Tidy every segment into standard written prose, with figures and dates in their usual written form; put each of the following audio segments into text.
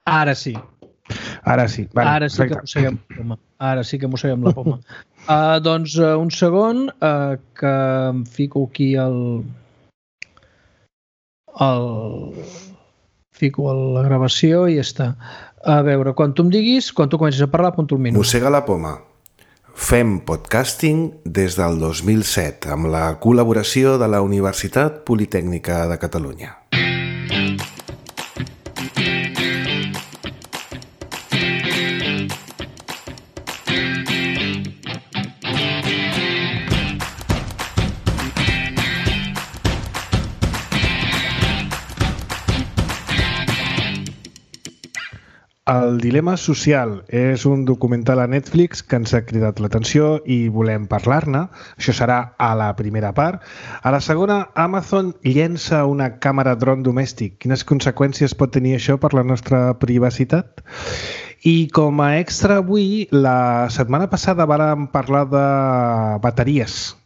Ara sí. Ara sí. Vale, Ara sí que mosseguem la poma. Ara sí que mosseguem la poma. Doncs un segon que em fico aquí fico la gravació i ja està. A veure, quan tu em diguis, quan tu comencis a parlar, apunto el minut. Mossega la poma. Fem podcasting des del 2007 amb la col·laboració de la Universitat Politècnica de Catalunya. El dilema social és un documental a Netflix que ens ha cridat l'atenció i volem parlar-ne. Això serà a la primera part. A la segona, Amazon llença una càmera dron domèstic. Quines conseqüències pot tenir això per la nostra privacitat? I com a extra avui, la setmana passada vàrem parlar de bateries,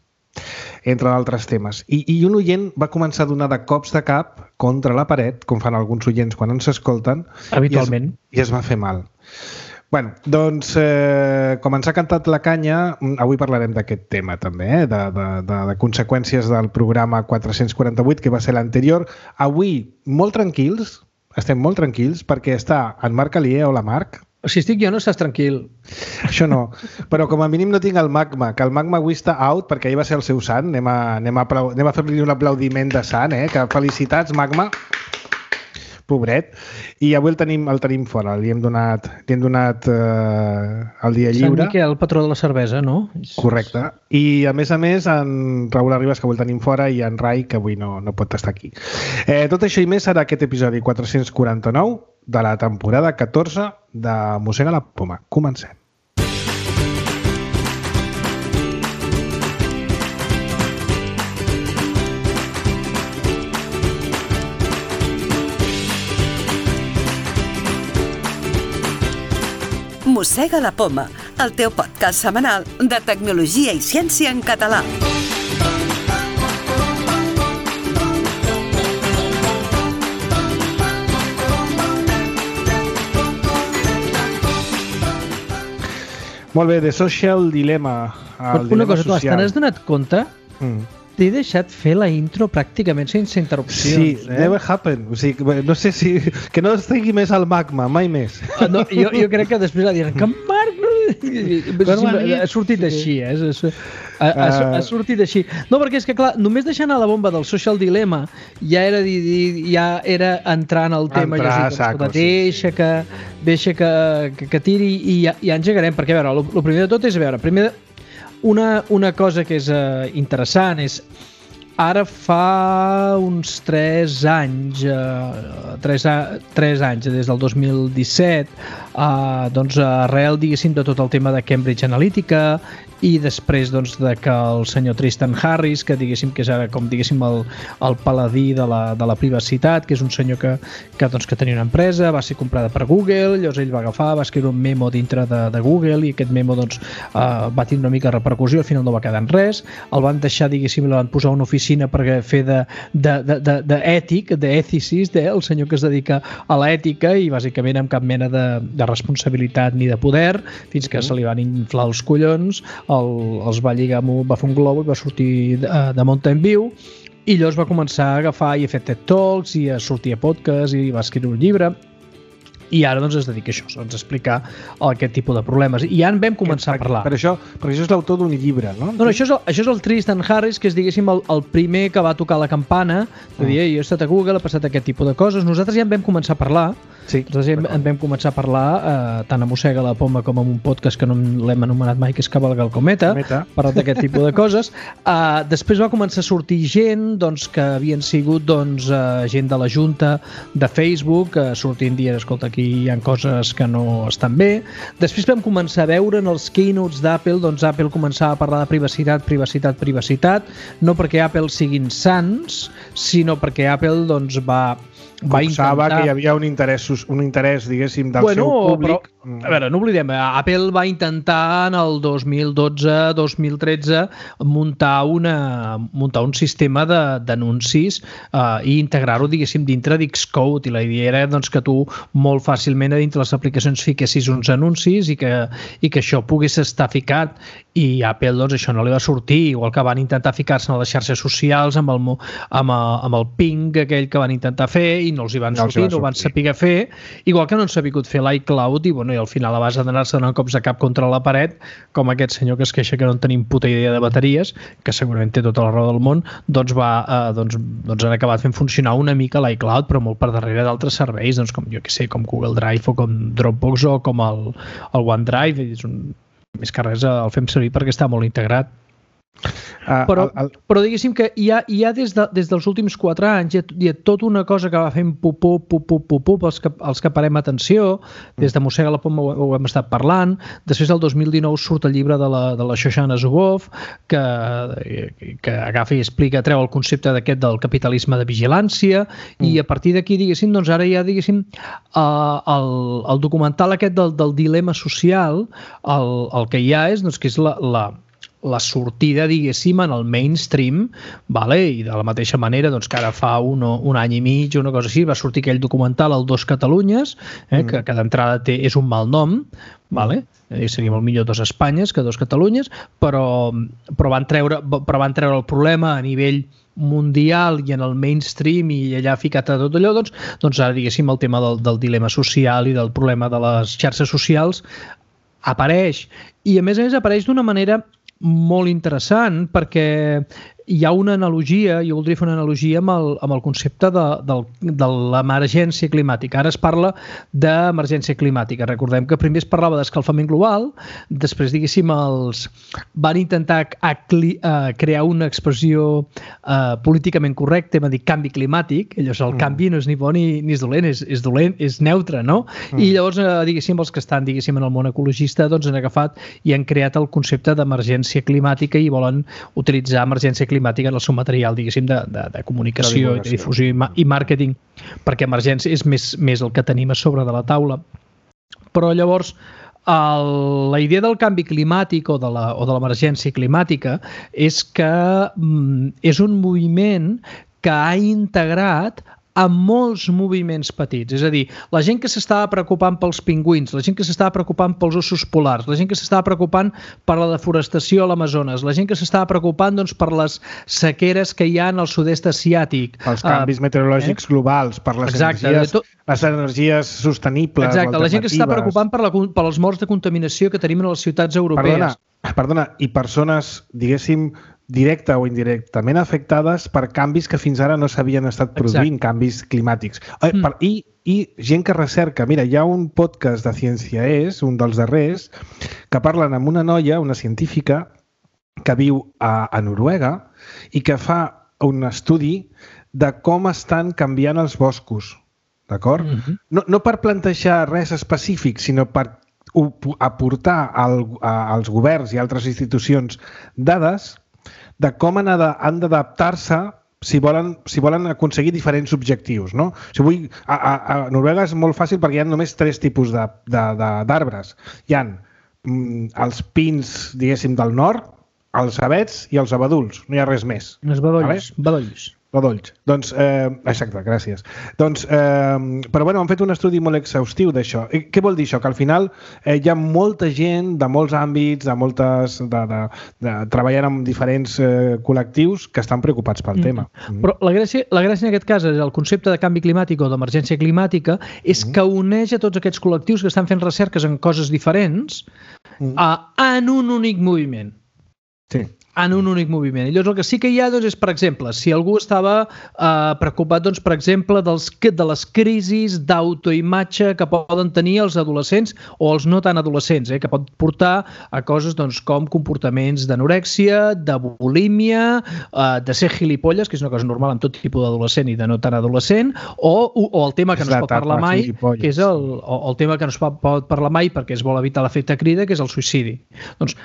entre d'altres temes. I un oient va començar a donar de cops de cap contra la paret, com fan alguns oients quan ens escolten, habitualment, i es va fer mal. Bé, doncs, com ens ha cantat la canya, avui parlarem d'aquest tema també, de conseqüències del programa 448, que va ser l'anterior. Avui, molt tranquils, estem molt tranquils, perquè està en Marc Alier. Hola, Marc. Si estic jo no estàs tranquil. Això no, però com a mínim no tinc el Magma, que el Magma avui està out perquè ahir va ser el seu sant. Anem a fer-li un aplaudiment de sant, que felicitats, Magma. Pobret. I avui el tenim fora, li hem donat el dia lliure. Sant Miquel, el patró de la cervesa, no? Correcte. I a més, en Raül Arribas, que avui el tenim fora, i en Rai, que avui no pot estar aquí. Tot això i més serà aquest episodi 449 de la temporada 14 de Mossega la poma. Comencem. Mossega la poma, el teu podcast setmanal de tecnologia i ciència en català. Molt bé, The Social Dilemma. Una cosa, tu te n'has donat compte? T'he deixat fer la intro pràcticament sense interrupcions. Sí, never happened. O sigui, no sé si... Que no estigui més al Magma, mai més. No, jo crec que després va dir que Marc... Ha sortit així, ha sortit així. No, perquè és que, clar, només deixant a la bomba del Social Dilemma ja era entrar en el tema. Deixa que tiri i ja engegarem. Perquè, a veure, el primer de tot és, una cosa que és interessant és ara fa uns 3 anys, des del 2017, doncs arrel, diguéssim, de tot el tema de Cambridge Analytica i després doncs, de que el senyor Tristan Harris, que diguéssim que és ara com diguéssim el paladí de la privacitat, que és un senyor que tenia una empresa, va ser comprada per Google, llavors ell va agafar, va escriure un memo dintre de Google i aquest memo doncs, va tenir una mica de repercussió, al final no va quedar en res, el van deixar, diguéssim, el van posar a una oficina per fer d'ètic, d'èticist, el senyor que es dedica a l'ètica i bàsicament amb cap mena de responsabilitat ni de poder, fins que se li van inflar els collons, els va lligar, va fer un globo i va sortir de Mountain View i llavors va començar a agafar i a fer TED Talks i a sortir a podcast i va escriure un llibre i ara doncs es dedica a això, a explicar aquest tipus de problemes. I ja en vam començar a parlar. Però això és l'autor d'un llibre, no? No, això és el Tristan Harris, que és, diguéssim, el primer que va tocar la campana, de dir, jo he estat a Google, ha passat aquest tipus de coses. Nosaltres ja en vam començar a parlar, en vam començar a parlar tant a Mossega la poma com en un podcast que no l'hem anomenat mai, que és Cavalga el Cometa, parlant d'aquest tipus de coses. Després va començar a sortir gent doncs, que havien sigut gent de la Junta de Facebook, sortint dient, escolta, aquí hi ha coses que no estan bé. Després vam començar a veure en els keynotes d'Apple, doncs Apple començava a parlar de privacitat, no perquè Apple siguin sants, sinó perquè Apple doncs, va intentar... que hi havia un interès, diguéssim, del seu públic. A veure, no oblidem, Apple va intentar en el 2012-2013 muntar un sistema d'anuncis i integrar-ho, diguéssim, dintre d'Xcode, i la idea era doncs, que tu molt fàcilment a dintre les aplicacions fiquessis uns anuncis i que això pogués estar ficat, i Apple doncs, això no li va sortir, igual que van intentar ficar-se a les xarxes socials amb el ping aquell que van intentar fer i no els hi van sortir, no ho van saber fer, igual que no han sabut fer l'iCloud, i bueno, i al final a base d'anar-se donant cops de cap contra la paret, com aquest senyor que es queixa que no en tenim puta idea de bateries, que segurament té tota la raó del món, doncs han acabat fent funcionar una mica l'iCloud, però molt per darrere d'altres serveis, doncs com jo que sé, com Google Drive o com Dropbox o com el OneDrive, més que res el fem servir perquè està molt integrat. Però diguéssim que hi ha des dels últims 4 anys hi ha tota una cosa que va fent pup els que parem atenció. Des de Mossega la Poma ho hem estat parlant. Després del 2019 surt el llibre de la Shoshana Zuboff que agafa i explica, treu el concepte d'aquest del capitalisme de vigilància, i a partir d'aquí, diguéssim, doncs ara hi ha, diguéssim, el documental aquest del dilema social, el que hi ha és que és la sortida, diguéssim, en el mainstream, i de la mateixa manera que ara fa un any i mig, una cosa així, va sortir aquell documental, el Dos Catalunyes, que d'entrada és un mal nom, seria molt millor Dos Espanyes que Dos Catalunyes, però van treure el problema a nivell mundial i en el mainstream i allà ficat a tot allò, doncs ara, diguéssim, el tema del dilema social i del problema de les xarxes socials apareix, i a més apareix d'una manera molt interessant, perquè hi ha una analogia, jo voldria fer una analogia amb el concepte de l'emergència climàtica. Ara es parla d'emergència climàtica. Recordem que primer es parlava d'escalfament global, després, diguéssim, van intentar crear una expressió políticament correcta, hem dit canvi climàtic. Llavors el canvi no és ni bo ni és dolent, és dolent, és neutre, no? I llavors, diguéssim, els que estan, diguéssim, en el món ecologista, doncs han agafat i han creat el concepte d'emergència climàtica i volen utilitzar emergència climàtica en el seu material, diguéssim, de comunicació, de difusió i màrqueting, perquè emergència és més el que tenim a sobre de la taula. Però llavors la idea del canvi climàtic o de l'emergència climàtica és que és un moviment que ha integrat a molts moviments petits. És a dir, la gent que s'estava preocupant pels pingüins, la gent que s'estava preocupant pels ossos polars, la gent que s'estava preocupant per la deforestació a l'Amazones, la gent que s'estava preocupant per les sequeres que hi ha al sud-est asiàtic. Els canvis meteorològics globals, per les energies sostenibles. Exacte, la gent que s'està preocupant per les morts de contaminació que tenim a les ciutats europees. Perdona, i persones, diguéssim, directa o indirectament afectades per canvis que fins ara no s'havien estat produint, canvis climàtics. I gent que recerca. Mira, hi ha un podcast de Ciència És, un dels darrers, que parlen amb una noia, una científica, que viu a Noruega i que fa un estudi de com estan canviant els boscos. D'acord? No per plantejar res específic, sinó per aportar als governs i altres institucions dades de com han d'adaptar-se si volen aconseguir diferents objectius. No? A Noruega és molt fàcil perquè hi ha només 3 tipus d'arbres. Hi ha els pins, diguéssim, del nord, els avets i els abeduls. No hi ha res més. Els bedolls. Doncs, exacte, gràcies. Però bueno, han fet un estudi molt exhaustiu d'això. Què vol dir això? Que al final hi ha molta gent de molts àmbits, treballant amb diferents col·lectius que estan preocupats pel tema. Però la gràcia en aquest cas és el concepte de canvi climàtic o d'emergència climàtica és que uneix a tots aquests col·lectius que estan fent recerques en coses diferents en un únic moviment. Sí. En un únic moviment. I llavors el que sí que hi ha és, per exemple, si algú estava preocupat, per exemple, de les crisis d'autoimatge que poden tenir els adolescents o els no tan adolescents, que pot portar a coses com comportaments d'anorèxia, de bulímia, de ser gilipolles, que és una cosa normal amb tot tipus d'adolescent i de no tan adolescent, o el tema que no es pot parlar mai, que és el tema que no es pot parlar mai perquè es vol evitar l'efecte crida, que és el suïcidi. Doncs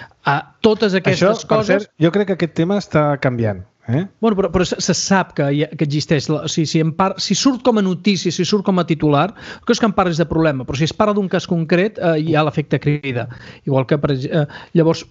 totes aquestes coses... Jo crec que aquest tema està canviant. Bueno, però se sap que existeix. Si surt com a notícia, si surt com a titular, que és que en parles de problema, però si es parla d'un cas concret, hi ha l'efecte crida. Igual que, llavors,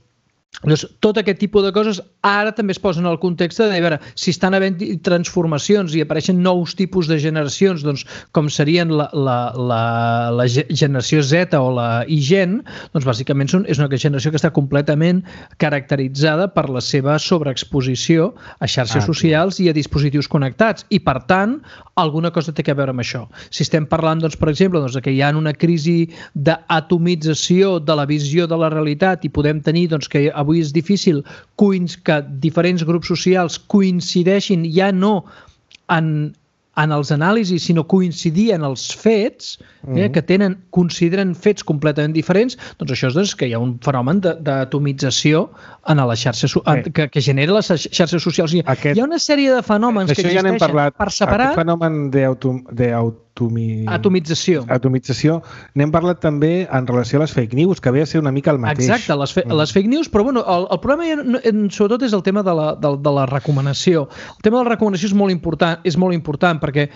tot aquest tipus de coses ara també es posen al context de veure si estan havent transformacions i apareixen nous tipus de generacions, doncs, com serien la generació Z o la I-Gen, doncs bàsicament és una generació que està completament caracteritzada per la seva sobreexposició a xarxes socials i a dispositius connectats i, per tant, alguna cosa té a veure amb això. Si estem parlant, doncs, per exemple, doncs, que hi ha una crisi d'atomització de la visió de la realitat i podem tenir doncs, que avui és difícil que diferents grups socials coincideixin ja no en els anàlisis, sinó coincidir en els fets, que consideren fets completament diferents, doncs això és que hi ha un fenomen d'atomització en les xarxes que genera les xarxes socials. Hi ha una sèrie de fenòmens que existeixen per separat. Aquest fenomen d'atomització n'hem parlat també en relació a les fake news, que ve a ser una mica el mateix. Exacte, les fake news, però bueno, el problema sobretot és el tema de la recomanació. El tema de la recomanació és molt important perquè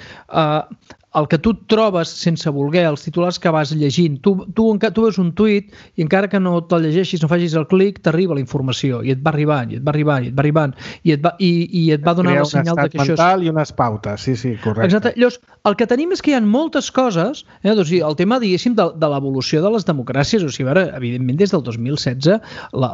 el que tu trobes sense voler, els titulars que vas llegint, tu veus un tuit i encara que no te'l llegeixis, no facis el clic, t'arriba la informació i et va arribant, i et va arribant i et va donar el senyal que això és... Crea un estat mental i unes pautes, sí, correcte. Exacte. Llavors, el que tenim és que hi ha moltes coses, doncs, el tema, diguéssim, de l'evolució de les democràcies, o sigui, evidentment, des del 2016,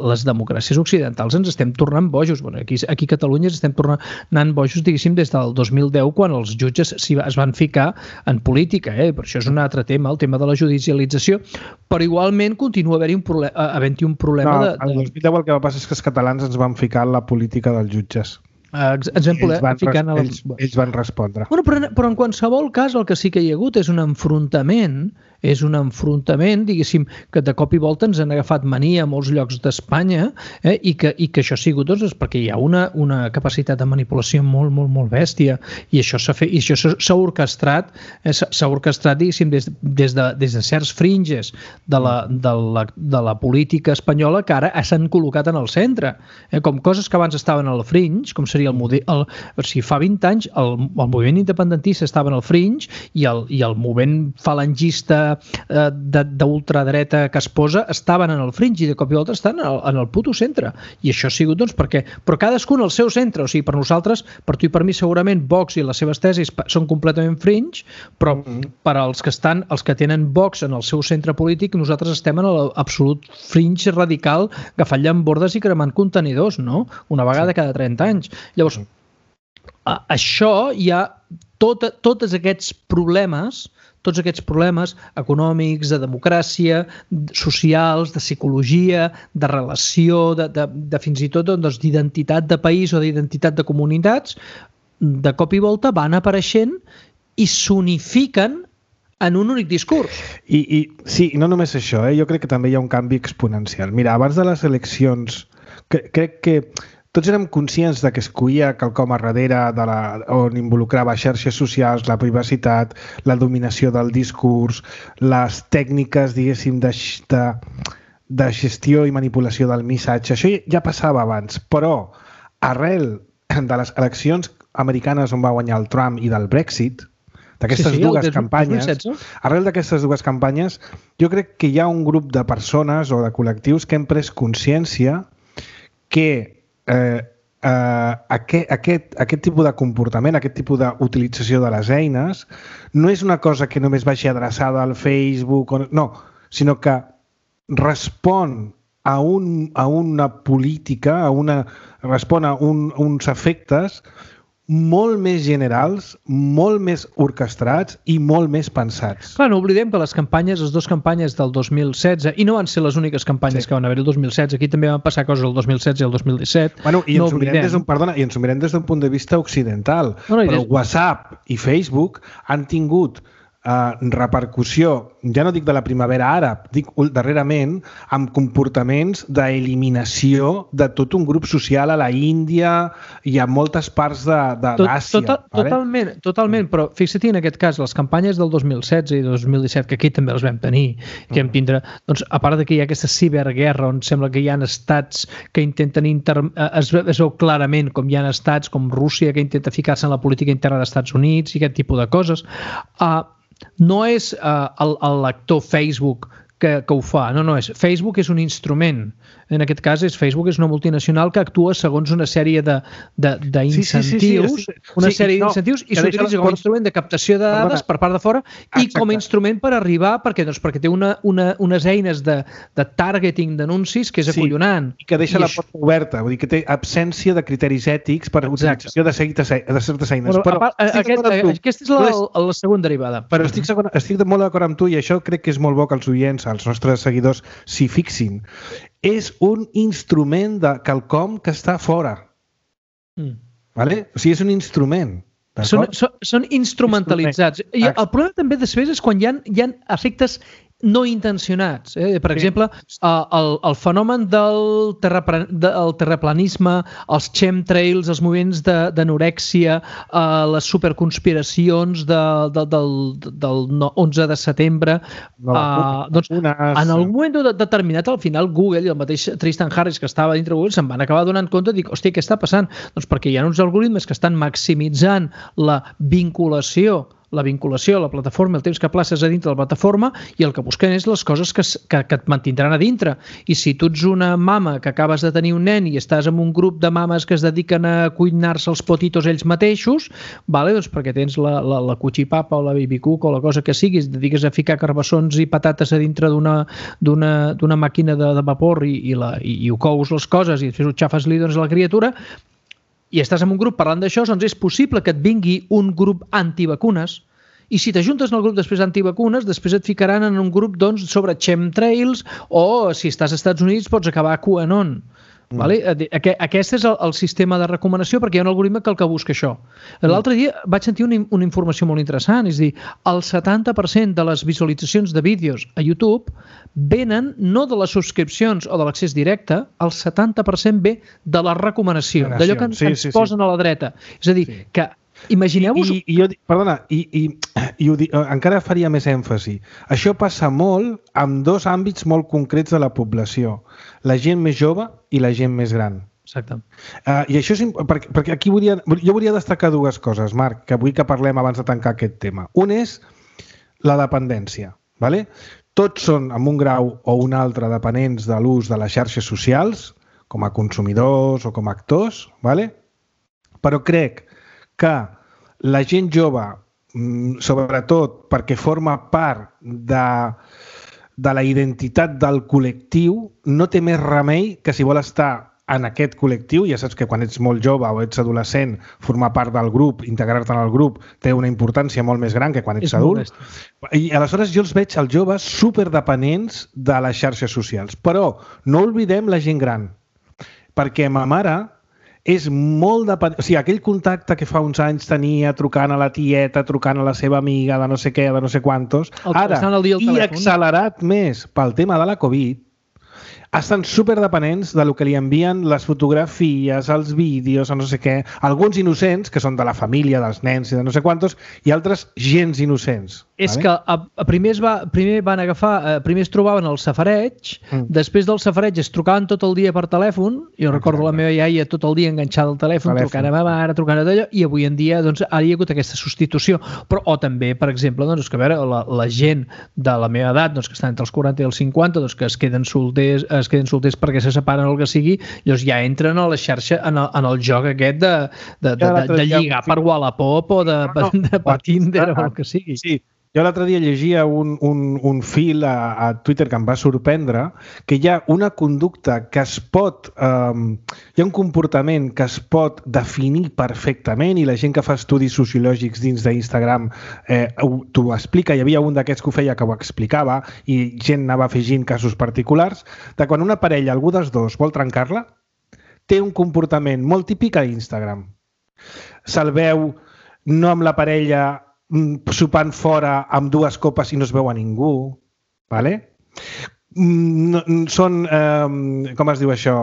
les democràcies occidentals ens estem tornant bojos. Bueno, aquí a Catalunya ens estem tornant bojos, diguéssim, des del 2010, quan els jutges es van ficar en política, però això és un altre tema, el tema de la judicialització, però igualment continua havent-hi un problema de... El 2010 el que va passar és que els catalans ens van ficar en la política dels jutges. Ells van respondre. Bueno, però en qualsevol cas el que sí que hi ha hagut és un enfrontament, diguéssim, que de cop i volta ens han agafat mania a molts llocs d'Espanya i que això ha sigut doncs, perquè hi ha una capacitat de manipulació molt, molt, molt bèstia i això s'ha orquestrat, diguéssim, des de certs fringes de la política espanyola que ara s'han col·locat en el centre. Com coses que abans estaven al fringe, com seria fa 20 anys el moviment independentista estava en el fringe i el moviment falangista d'ultradreta que es posa estaven en el fringe i de cop i volta estan en el puto centre. I això ha sigut, doncs, però cadascun al seu centre. O sigui, per nosaltres, per tu i per mi, segurament Vox i les seves tesis són completament fringe, però per als que tenen Vox en el seu centre polític, nosaltres estem en l'absolut fringe radical agafant llambordes i cremant contenidors, no? Una vegada cada 30 anys. Llavors, això hi ha tots aquests problemes econòmics, de democràcia, socials, de psicologia, de relació, de fins i tot d'identitat de país o d'identitat de comunitats, de cop i volta van apareixent i s'unifiquen en un únic discurs. Sí, no només això, jo crec que també hi ha un canvi exponencial. Mira, abans de les eleccions, crec que tots érem conscients de que es coïa quelcom a darrere on involucrava xarxes socials, la privacitat, la dominació del discurs, les tècniques, diguéssim, de gestió i manipulació del missatge. Això ja passava abans, però arrel de les eleccions americanes on va guanyar el Trump i del Brexit, d'aquestes dues campanyes, arrel d'aquestes dues campanyes, jo crec que hi ha un grup de persones o de col·lectius que hem pres consciència que aquest tipus de comportament, aquest tipus d'utilització de les eines no és una cosa que només vagi adreçada al Facebook, no, sinó que respon a una política, respon a uns efectes molt més generals, molt més orquestrats i molt més pensats. Clar, no oblidem que les dues campanyes del 2016, i no van ser les úniques campanyes que van haver el 2016, aquí també van passar coses el 2016 i el 2017. I ens ho mirem des d'un punt de vista occidental, però WhatsApp i Facebook han tingut repercussió, ja no dic de la primavera àrab, dic darrerament, amb comportaments d'eliminació de tot un grup social a la Índia i a moltes parts d'Àsia. Totalment, però fixa't en aquest cas, les campanyes del 2016 i 2017, que aquí també les vam tenir, que vam tindre, doncs, a part que hi ha aquesta ciberguerra on sembla que hi ha estats que intenten es veu clarament com hi ha estats com Rússia que intenta ficar-se en la política interna dels Estats Units i aquest tipus de coses. No és el lector Facebook que ho fa, no és. Facebook és un instrument. En aquest cas, Facebook és una multinacional que actua segons una sèrie d'incentius, i s'utilitza com a instrument de captació de dades per part de fora i com a instrument per arribar, perquè té unes eines de targeting d'anuncis que és acollonant. I que deixa la porta oberta, vull dir que té absència de criteris ètics per utilització de certes eines. Aquesta és la segona derivada. Però estic molt d'acord amb tu i això crec que és molt bo que els oients, els nostres seguidors, s'hi fixin. És un instrument de quelcom que està fora. Vale? O sigui, és un instrument. Són instrumentalitzats. I el problema també després és quan hi ha efectes no intencionats. Per exemple, el fenomen del terraplanisme, els chemtrails, els moviments d'anorèxia, les superconspiracions del 11 de setembre, en algun moment determinat, al final Google i el mateix Tristan Harris que estava dintre Google se'n van acabar donant compte i dic, hòstia, què està passant? Doncs perquè hi ha uns algoritmes que estan maximitzant la vinculació a la plataforma, el temps que places a dintre de la plataforma, i el que busquen és les coses que et mantindran a dintre. I si tu ets una mama que acabes de tenir un nen i estàs en un grup de mames que es dediquen a cuinar-se els potitos ells mateixos, doncs perquè tens la cuchipapa o la bibicuc o la cosa que siguis, dediques a ficar carbassons i patates a dintre d'una màquina de vapor i ho cous les coses i després ho xafes-li a la criatura, i estàs en un grup parlant d'això, doncs és possible que et vingui un grup antivacunes, i si t'ajuntes en el grup després antivacunes, després et ficaran en un grup sobre chemtrails, o si estàs als Estats Units pots acabar a QAnon. Aquest és el sistema de recomanació, perquè hi ha un algoritme que el que busca això. L'altre dia vaig sentir una informació molt interessant, és a dir, el 70% de les visualitzacions de vídeos a YouTube venen no de les subscripcions o de l'accés directe, el 70% ve de la recomanació, d'allò que ens posen a la dreta. És a dir, que imagineu-vos... Perdona, encara faria més èmfasi. Això passa molt en dos àmbits molt concrets de la població. La gent més jove i la gent més gran. Exacte. I això és perquè aquí jo volia destacar dues coses, Marc, que vull que parlem abans de tancar aquest tema. Un és la dependència. Tots són, en un grau o un altre, dependents de l'ús de les xarxes socials, com a consumidors o com a actors, però crec que la gent jove, sobretot perquè forma part de la identitat del col·lectiu, no té més remei que si vol estar en aquest col·lectiu, ja saps que quan ets molt jove o ets adolescent, formar part del grup, integrar-te en el grup, té una importància molt més gran que quan ets adult. I aleshores jo els veig als joves superdependents de les xarxes socials. Però no oblidem la gent gran, perquè ma mare és molt dependent. O sigui, aquell contacte que fa uns anys tenia trucant a la tieta, trucant a la seva amiga, de no sé què, de no sé quantos, ara, i accelerat més pel tema de la Covid, estan superdependents del que li envien les fotografies, els vídeos, no sé què, alguns innocents, que són de la família, dels nens i de no sé quantos, i altres gens innocents. És que primer es trobaven al safareig, després del safareig es trucaven tot el dia per telèfon, jo recordo la meva iaia tot el dia enganxada al telèfon, trucant a ma mare, trucant a d'allò, i avui en dia ara hi ha hagut aquesta substitució. O també, per exemple, que a veure, la gent de la meva edat, que estan entre els 40 i els 50, que es queden solters perquè se separen o el que sigui, llavors ja entren a la xarxa, en el joc aquest de lligar per Wallapop o per Tinder o el que sigui. Sí. Jo l'altre dia llegia un fil a Twitter que em va sorprendre, que hi ha una conducta que es pot... hi ha un comportament que es pot definir perfectament, i la gent que fa estudis sociològics dins d'Instagram t'ho explica. Hi havia un d'aquests que ho feia que ho explicava i gent anava afegint casos particulars, de quan una parella, algú dels dos, vol trencar-la, té un comportament molt típic a Instagram. Se'l veu no amb la parella sopant fora amb 2 copes i no es veu a ningú, ¿vale? Són, com es diu això,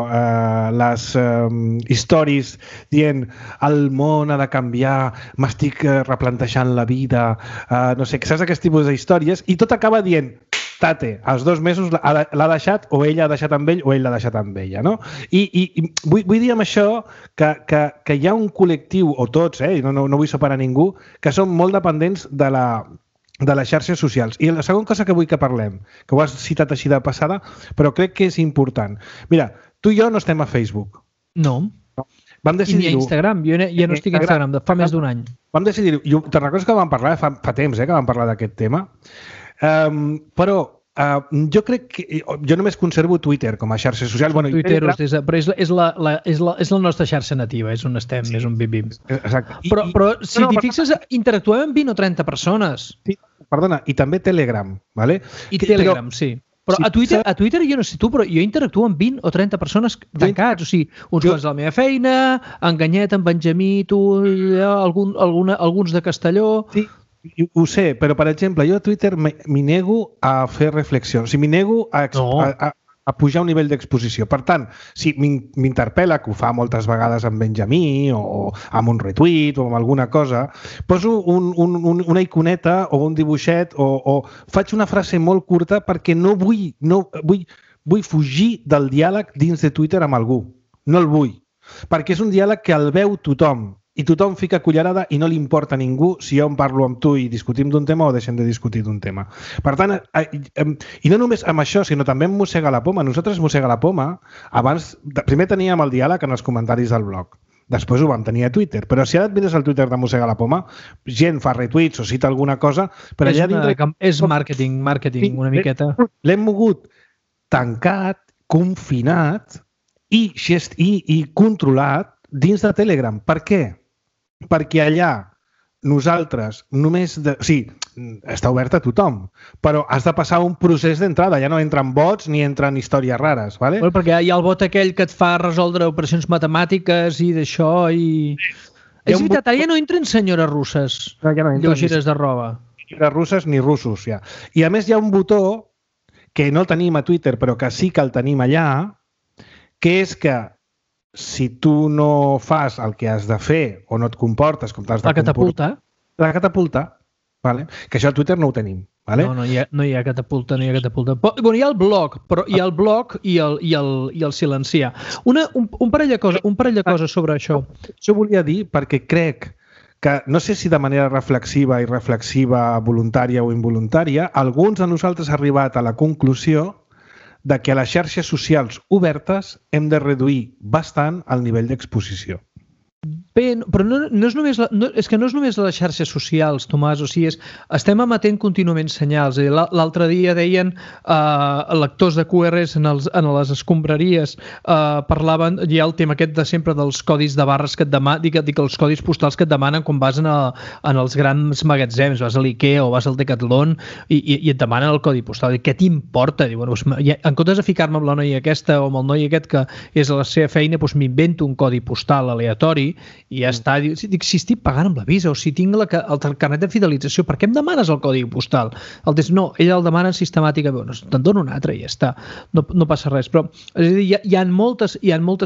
les històries dient el món ha de canviar, m'estic replantejant la vida, no sé, saps aquest tipus d'històries, i tot acaba dient Tate, als 2 mesos l'ha deixat, o ella ha deixat amb ell, o ell l'ha deixat amb ella, no? I vull dir amb això que hi ha un col·lectiu, o tots, no vull separar ningú, que són molt dependents de les xarxes socials. I la segona cosa que vull que parlem, que ho has citat així de passada, però crec que és important. Mira, tu i jo no estem a Facebook. No. Vam decidir-ho. I ni a Instagram. Jo ja no estic a Instagram, fa més d'un any. Vam decidir-ho. Te'n recordes que vam parlar fa temps, que vam parlar d'aquest tema? Però jo crec que... Jo només conservo Twitter com a xarxa social. Bueno, Twitter, però és la nostra xarxa nativa, és on estem, és on vivim. Exacte. Però si t'hi fixes, interactuem amb 20 o 30 persones. Sí, perdona, i també Telegram, ¿vale? I Telegram, sí. Però a Twitter jo no sé tu, però jo interactuo amb 20 o 30 persones tancats, o sigui, uns quants de la meva feina, Enganyet, en Benjamí, tu, alguns de Castelló... Sí. Ho sé, però, per exemple, jo a Twitter m'hi nego a fer reflexions. O sigui, m'hi nego a pujar un nivell d'exposició. Per tant, si m'interpel·la, que ho fa moltes vegades amb Benjamí o amb un retweet o amb alguna cosa, poso una iconeta o un dibuixet o faig una frase molt curta perquè no vull fugir del diàleg dins de Twitter amb algú. No el vull. Perquè és un diàleg que el veu tothom. I tothom fica cullerada i no li importa a ningú si jo em parlo amb tu i discutim d'un tema o deixem de discutir d'un tema. Per tant, i no només amb això, sinó també em mossega la poma. Nosaltres mossega la poma. Primer teníem el diàleg en els comentaris del blog. Després ho vam tenir a Twitter. Però si ara et mires al Twitter de mossega la poma, gent fa retweets o cita alguna cosa, però allà dintre... És màrqueting, una miqueta. L'hem mogut tancat, confinat i controlat dins de Telegram. Per què? Perquè allà nosaltres només... Sí, està obert a tothom, però has de passar un procés d'entrada. Ja no entren bots ni entren històries rares, ¿vale? Bueno, perquè hi ha el bot aquell que et fa resoldre operacions matemàtiques i d'això i... És veritat, ara ja no entren senyores russes lleugeres de roba. Ni russes ni russos, ja. I a més hi ha un botó que no el tenim a Twitter, però que sí que el tenim allà, que és que si tu no fas el que has de fer o no et comportes com t'has de comportar... La catapulta. Vale? Que això a Twitter no ho tenim. Vale? No hi ha catapulta, no hi ha catapulta. Bueno, hi ha el blog, però hi ha el blog i el silenciar. Un parell de coses sobre això. Això volia dir perquè crec que, no sé si de manera reflexiva, voluntària o involuntària, alguns de nosaltres han arribat a la conclusió de que a les xarxes socials obertes hem de reduir bastant el nivell d'exposició. Bé, però no és només és que no és només les xarxes socials, Tomàs, o sigui, estem emetent contínuament senyals. L'altre dia deien lectors de QRs en les escombraries parlaven, hi ha el tema aquest de sempre dels codis de barres que et demanen, dic els codis postals que et demanen quan vas en els grans magatzems, vas a l'Ikea o vas al Decathlon i et demanen el codi postal. Què t'importa? En comptes de ficar-me amb la noia aquesta o amb el noi aquest que és a la seva feina, m'invento un codi postal aleatori i ja està. Dic, si estic pagant amb la Visa o si tinc el carnet de fidelització, per què em demanes el codi postal? No, ella el demana sistemàticament. Te'n dono un altre i ja està. No passa res. Però és a dir, hi ha moltes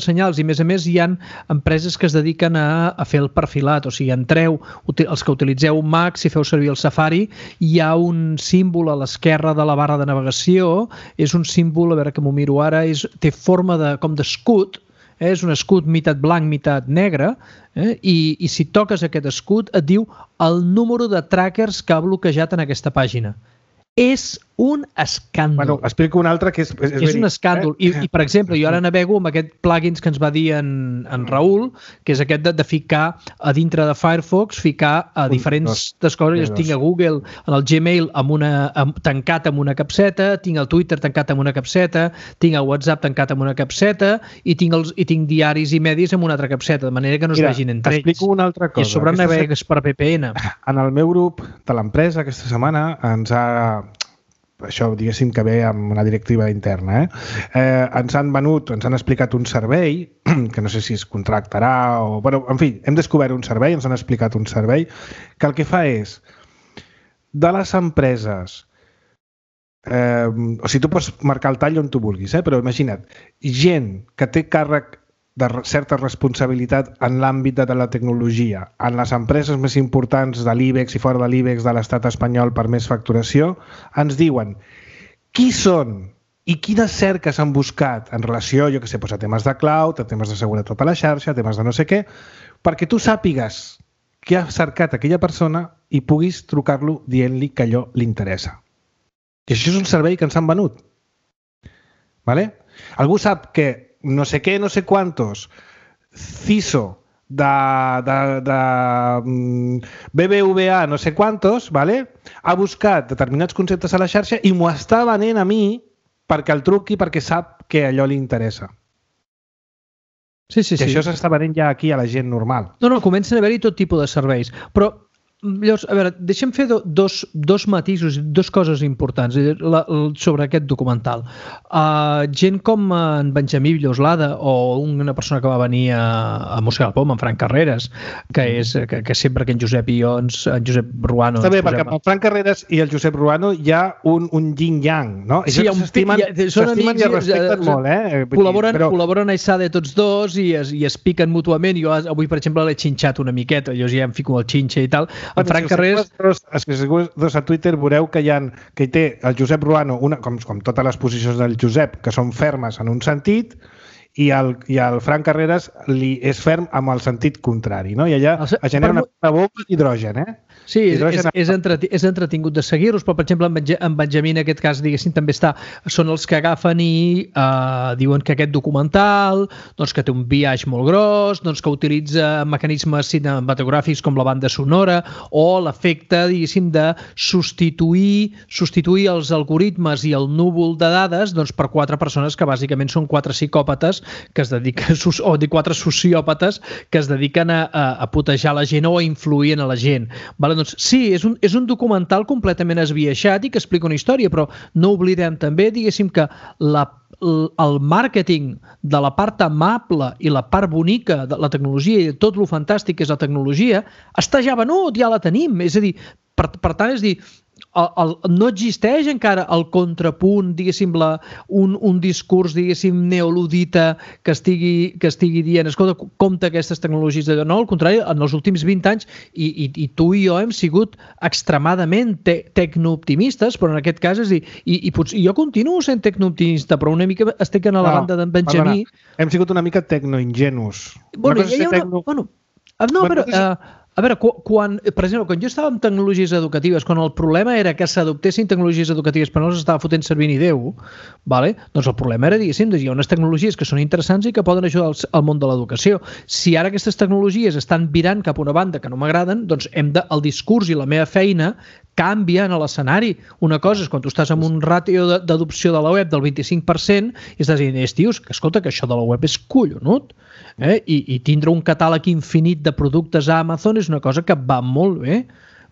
senyals i a més hi ha empreses que es dediquen a fer el perfilat. O sigui, entreu, els que utilitzeu Mac, si feu servir el Safari, hi ha un símbol a l'esquerra de la barra de navegació. És un símbol, a veure que m'ho miro ara, té forma com d'escut. És un escut mitat blanc, mitat negre, i si toques aquest escut et diu el número de trackers que ha bloquejat en aquesta pàgina. És un escàndol. Bueno, explico un altre que és un escàndol. I, per exemple, jo ara navego amb aquest plugins que ens va dir en Raül, que és aquest de ficar a dintre de Firefox, ficar a diferents coses. Jo tinc a Google, en el Gmail tancat amb una capseta, tinc el Twitter tancat amb una capseta, tinc el WhatsApp tancat amb una capseta i tinc diaris i medis amb una altra capseta, de manera que no es vegin entre ells. Explico una altra cosa. I a sobre navegues per VPN. En el meu grup de l'empresa aquesta setmana això diguéssim que ve amb una directiva interna, ens han explicat un servei, que no sé si es contractarà o... Bueno, en fi, hem descobert un servei, ens han explicat un servei, que el que fa és de les empreses, o sigui, tu pots marcar el tall on tu vulguis, però imagina't, gent que té càrrec de certa responsabilitat en l'àmbit de la tecnologia, en les empreses més importants de l'IBEX i fora de l'IBEX de l'estat espanyol per més facturació, ens diuen qui són i quines cerques han buscat en relació, jo què sé, a temes de cloud, a temes de seguretat a la xarxa, a temes de no sé què, perquè tu sàpigues què ha cercat aquella persona i puguis trucar-lo dient-li que allò li interessa. I això és un servei que ens han venut. ¿Vale? Algú sap que no sé què, no sé quantos, CISO de BBVA, no sé quantos, ¿vale? Ha buscat determinats conceptes a la xarxa i m'ho està venent a mi perquè el truqui, perquè sap que allò li interessa. Sí. I això s'està venent ja aquí a la gent normal. No, comencen a haver-hi tot tipus de serveis. Però, llavors, a veure, deixem fer dos matisos, dues coses importants sobre aquest documental. Gent com en Benjamí Villoslada o una persona que va venir a Mossega el Pom, en Frank Carreras, que sempre que en Josep i jo, en Josep Ruano... Està bé, perquè amb el Frank Carreras i el Josep Ruano hi ha un yin-yang, no? Sí, s'estimen i es respecten molt, Col·laboren a ISADE tots dos i es piquen mútuament. Jo avui, per exemple, l'he xinxat una miqueta, jo ja em fico el xinxa i tal. En Frank Carreras... Si seguiu a Twitter veureu que hi té el Josep Ruano, com totes les posicions del Josep, que són fermes en un sentit, i el Frank Carreras és ferm amb el sentit contrari, no? I allà es genera una bomba d'hidrogen, Sí, és entretingut de seguir-los, però, per exemple, en Benjamí, en aquest cas, diguéssim, també són els que agafen i diuen que aquest documental, doncs, que té un biaix molt gros, doncs, que utilitza mecanismes cinematogràfics com la banda sonora o l'efecte, diguéssim, de substituir els algoritmes i el núvol de dades, doncs, per 4 persones que bàsicament són 4 psicòpates que es dediquen, o 4 sociòpates que es dediquen a putejar la gent o a influir en la gent. Vale? Doncs sí, és un documental completament esbiaixat i que explica una història, però no oblidem també, diguéssim, que el màrqueting de la part amable i la part bonica de la tecnologia i de tot lo fantàstic que és la tecnologia està ja venut, ja la tenim. És a dir, per tant, és dir, no existeix encara el contrapunt, diguéssim, un discurs, diguéssim, neoludita que estigui dient, escolta, compte aquestes tecnologies. No, al contrari, en els últims 20 anys, i tu i jo hem sigut extremadament tecnooptimistes, però en aquest cas, és dir, i potser jo continuo sent tecnooptimista, però una mica estic a la banda d'en Benjamí. Hem sigut una mica tecnoingenus. A veure, per exemple, quan jo estava en tecnologies educatives, quan el problema era que s'adoptessin tecnologies educatives però no s'estava fotent servir ni Déu, doncs el problema era, diguéssim, hi ha unes tecnologies que són interessants i que poden ajudar al món de l'educació. Si ara aquestes tecnologies estan virant cap a una banda que no m'agraden, doncs el discurs i la meva feina canvia en l'escenari. Una cosa és quan tu estàs amb un ràtio d'adopció de la web del 25% i estàs dient, tios, que escolta, que això de la web és collonut. I tindre un catàleg infinit de productes a Amazon és una cosa que va molt bé.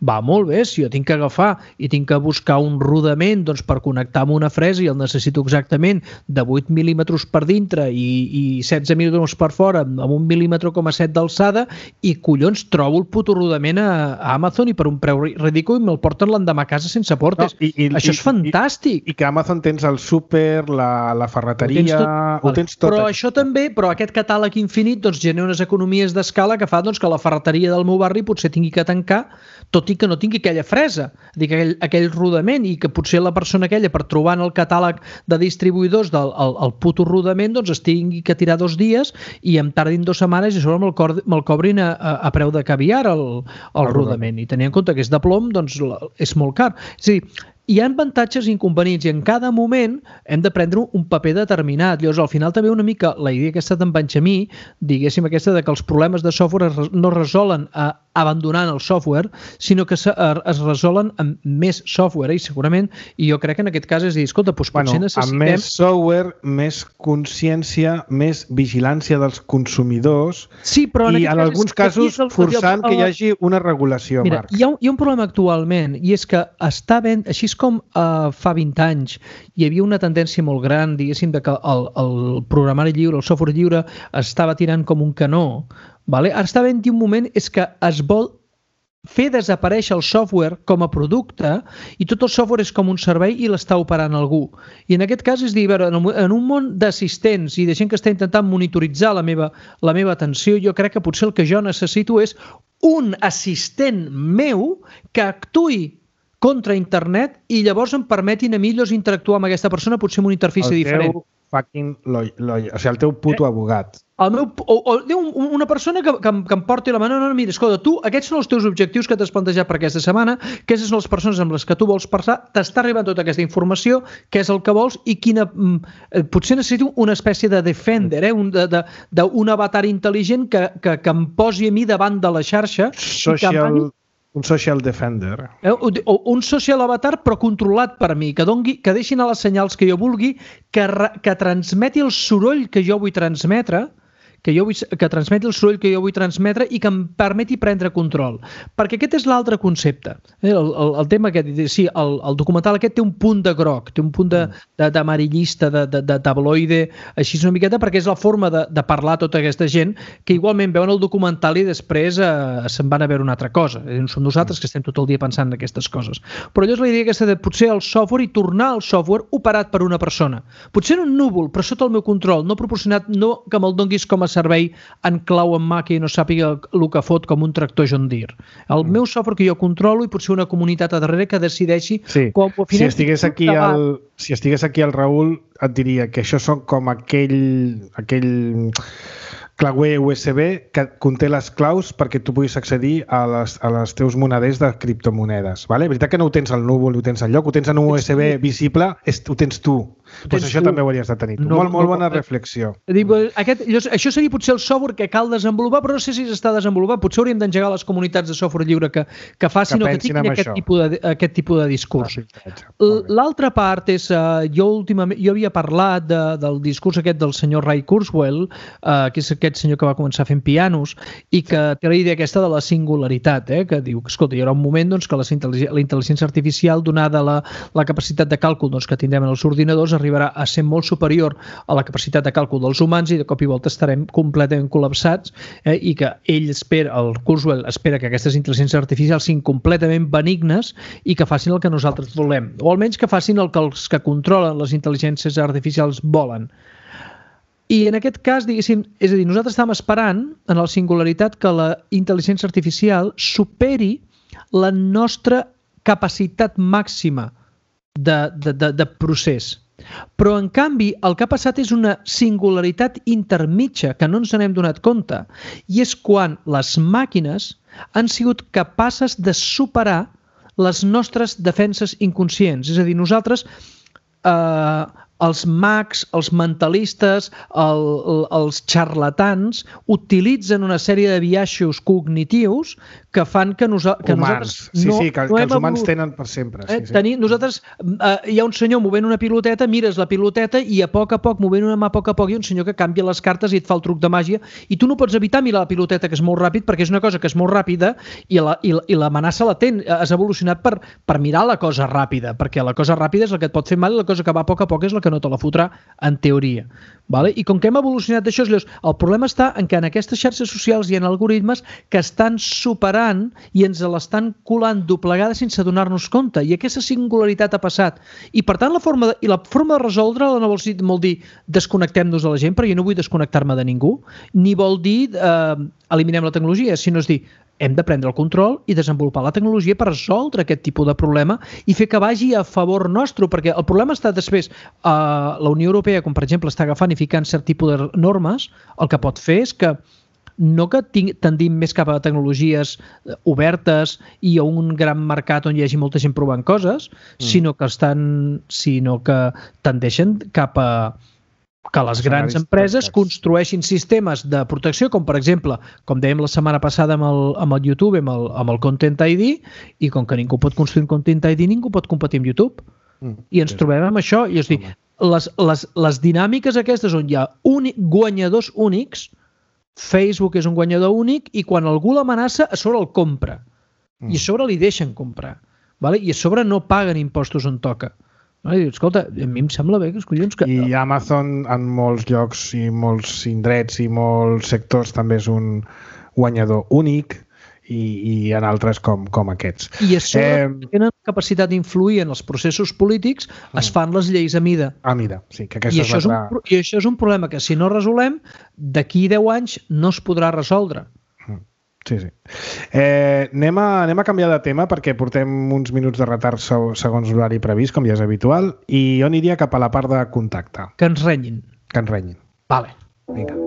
Va molt bé, si jo tinc que agafar i tinc que buscar un rodament per connectar amb una fresa i el necessito exactament de 8 mil·límetres per dintre i 16 mil·límetres per fora amb 1,7 mil·límetres d'alçada i collons trobo el puto rodament a Amazon i per un preu ridícul me'l porten l'endemà a casa sense portes. Això és fantàstic. I que a Amazon tens el súper, la ferreteria, ho tens tot. Però això també, aquest catàleg infinit genera unes economies d'escala que fa que la ferreteria del meu barri potser tingui que tancar, tot i que no tingui aquella fresa, aquell rodament, i que potser la persona aquella, per trobar en el catàleg de distribuïdors el puto rodament, es tingui que tirar 2 dies i em tardin 2 setmanes i sobre me'l cobrin a preu de caviar el rodament. I tenint en compte que és de plom, és molt car. És a dir, hi ha avantatges i inconvenients i en cada moment hem de prendre un paper determinat. Llavors, al final també una mica la idea que ha estat en Benjamí, diguéssim aquesta que els problemes de software no es resolen abandonant el software, sinó que es resolen amb més software i segurament, i jo crec que en aquest cas és dir, escolta, potser necessitem... Amb més software, més consciència, més vigilància dels consumidors i en alguns casos forçant que hi hagi una regulació. Mira, hi ha un problema actualment i és que està ben, així com fa 20 anys hi havia una tendència molt gran, diguéssim, que el programari lliure, el software lliure estava tirant com un canó, ara està havent-hi un moment és que es vol fer desaparèixer el software com a producte i tot el software és com un servei i l'està operant algú. I en aquest cas és dir, en un món d'assistents i de gent que està intentant monitoritzar la meva atenció, jo crec que potser el que jo necessito és un assistent meu que actuï contra internet i llavors em permetin a mi interactuar amb aquesta persona potser amb una interfície diferent. El teu puto abogat. Una persona que em porti la mà, no, mira, escolta, tu, aquests són els teus objectius que t'has plantejat per aquesta setmana, aquestes són les persones amb les que tu vols parlar, t'està arribant tota aquesta informació, què és el que vols i potser necessito una espècie de defender, d'un avatar intel·ligent que em posi a mi davant de la xarxa. Un social defender. Un social avatar, però controlat per mi, que deixin a les senyals que jo vulgui, que transmeti el soroll que jo vull transmetre, que transmeti el soroll que jo vull transmetre i que em permeti prendre control. Perquè aquest és l'altre concepte. El tema aquest, sí, el documental aquest té un punt de groc, té un punt d'amarillista, de tabloide, així una miqueta, perquè és la forma de parlar tota aquesta gent que igualment veuen el documental i després se'n van a veure una altra cosa. Som nosaltres que estem tot el dia pensant en aquestes coses. Però allò és la idea aquesta de potser el software i tornar al software operat per una persona. Potser en un núvol, però sota el meu control, no proporcionat, no que me'l donguis com a servei en clau en mà que no sàpiga el que fot com un tractor John Deere. El meu software que jo controlo i potser una comunitat a darrere que decideixi com ho si estigués aquí el Raül et diria que això són com aquell clauer USB que conté les claus perquè tu puguis accedir a les teus moneders de criptomonedes. Vale? Veritat que no ho tens al núvol, ho tens al lloc, ho tens en un USB visible, ho tens tu. Doncs això també ho hauries de tenir tu. Molt bona reflexió. Això seria potser el software que cal desenvolupar, però no sé si s'està desenvolupant. Potser hauríem d'engegar les comunitats de software lliure que facin o que tinguin aquest tipus de discurs. L'altra part és, jo havia parlat del discurs aquest del senyor Ray Kurzweil, que és aquest senyor que va començar fent pianos i que té la idea aquesta de la singularitat, que diu que, escolta, hi haurà un moment que la intel·ligència artificial, donada la capacitat de càlcul que tindrem en els ordinadors, arribarà a ser molt superior a la capacitat de càlcul dels humans i de cop i volta estarem completament col·lapsats i que el Kurzweil espera que aquestes intel·ligències artificials siguin completament benignes i que facin el que nosaltres volem, o almenys que facin el que els que controlen les intel·ligències artificials volen. I en aquest cas, diguéssim, és a dir, nosaltres estem esperant en la singularitat que la intel·ligència artificial superi la nostra capacitat màxima de procés. Però, en canvi, el que ha passat és una singularitat intermitja que no ens n'hem donat compte, i és quan les màquines han sigut capaces de superar les nostres defenses inconscients. És a dir, nosaltres, els mags, els mentalistes, els xarlatans utilitzen una sèrie de biaixos cognitius que fan que nosaltres que els humans tenen per sempre. Nosaltres, hi ha un senyor movent una piloteta, mires la piloteta i a poc, movent una mà a poc, hi ha un senyor que canvia les cartes i et fa el truc de màgia i tu no pots evitar mirar la piloteta, que és molt ràpid, perquè és una cosa que és molt ràpida i l'amenaça latent. Has evolucionat per mirar la cosa ràpida, perquè la cosa ràpida és la que et pot fer mal i la cosa que va a poc és la que no te la fotrà en teoria. I com que hem evolucionat d'això, el problema està en que en aquestes xarxes socials hi ha algoritmes que estan superant i ens l'estan colant doblegada sense donar-nos compte, i aquesta singularitat ha passat. I per tant la forma de resoldre-la no vol dir desconnectem-nos de la gent, perquè jo no vull desconnectar-me de ningú, ni vol dir eliminem la tecnologia, sinó és dir, hem de prendre el control i desenvolupar la tecnologia per resoldre aquest tipus de problema i fer que vagi a favor nostre, perquè el problema està després. La Unió Europea, com per exemple està agafant i ficant cert tipus de normes, el que pot fer és que no que tendim més cap a tecnologies obertes i a un gran mercat on hi hagi molta gent provant coses, sinó que tendeixen cap a que les grans empreses construeixin sistemes de protecció, com per exemple, com dèiem la setmana passada amb el YouTube, amb el Content ID, i com que ningú pot construir un Content ID, ningú pot competir amb YouTube. I ens trobem amb això, i és dir, les dinàmiques aquestes on hi ha guanyadors únics, Facebook és un guanyador únic, i quan algú l'amenaça, a sobre el compra. I a sobre li deixen comprar. I a sobre no paguen impostos on toca. Escolta, a mi em sembla bé que els collons... I Amazon en molts llocs i molts indrets i molts sectors també és un guanyador únic i en altres com aquests. I a sobre tenen capacitat d'influir en els processos polítics, es fan les lleis a mida. A mida, sí. Que I això és un problema que si no resolem, d'aquí 10 anys no es podrà resoldre. Sí. Anem a canviar de tema perquè portem uns minuts de retard segons l'horari previst, com ja és habitual, i jo aniria cap a la part de contacte. Que ens renyin. Vale. Vinga.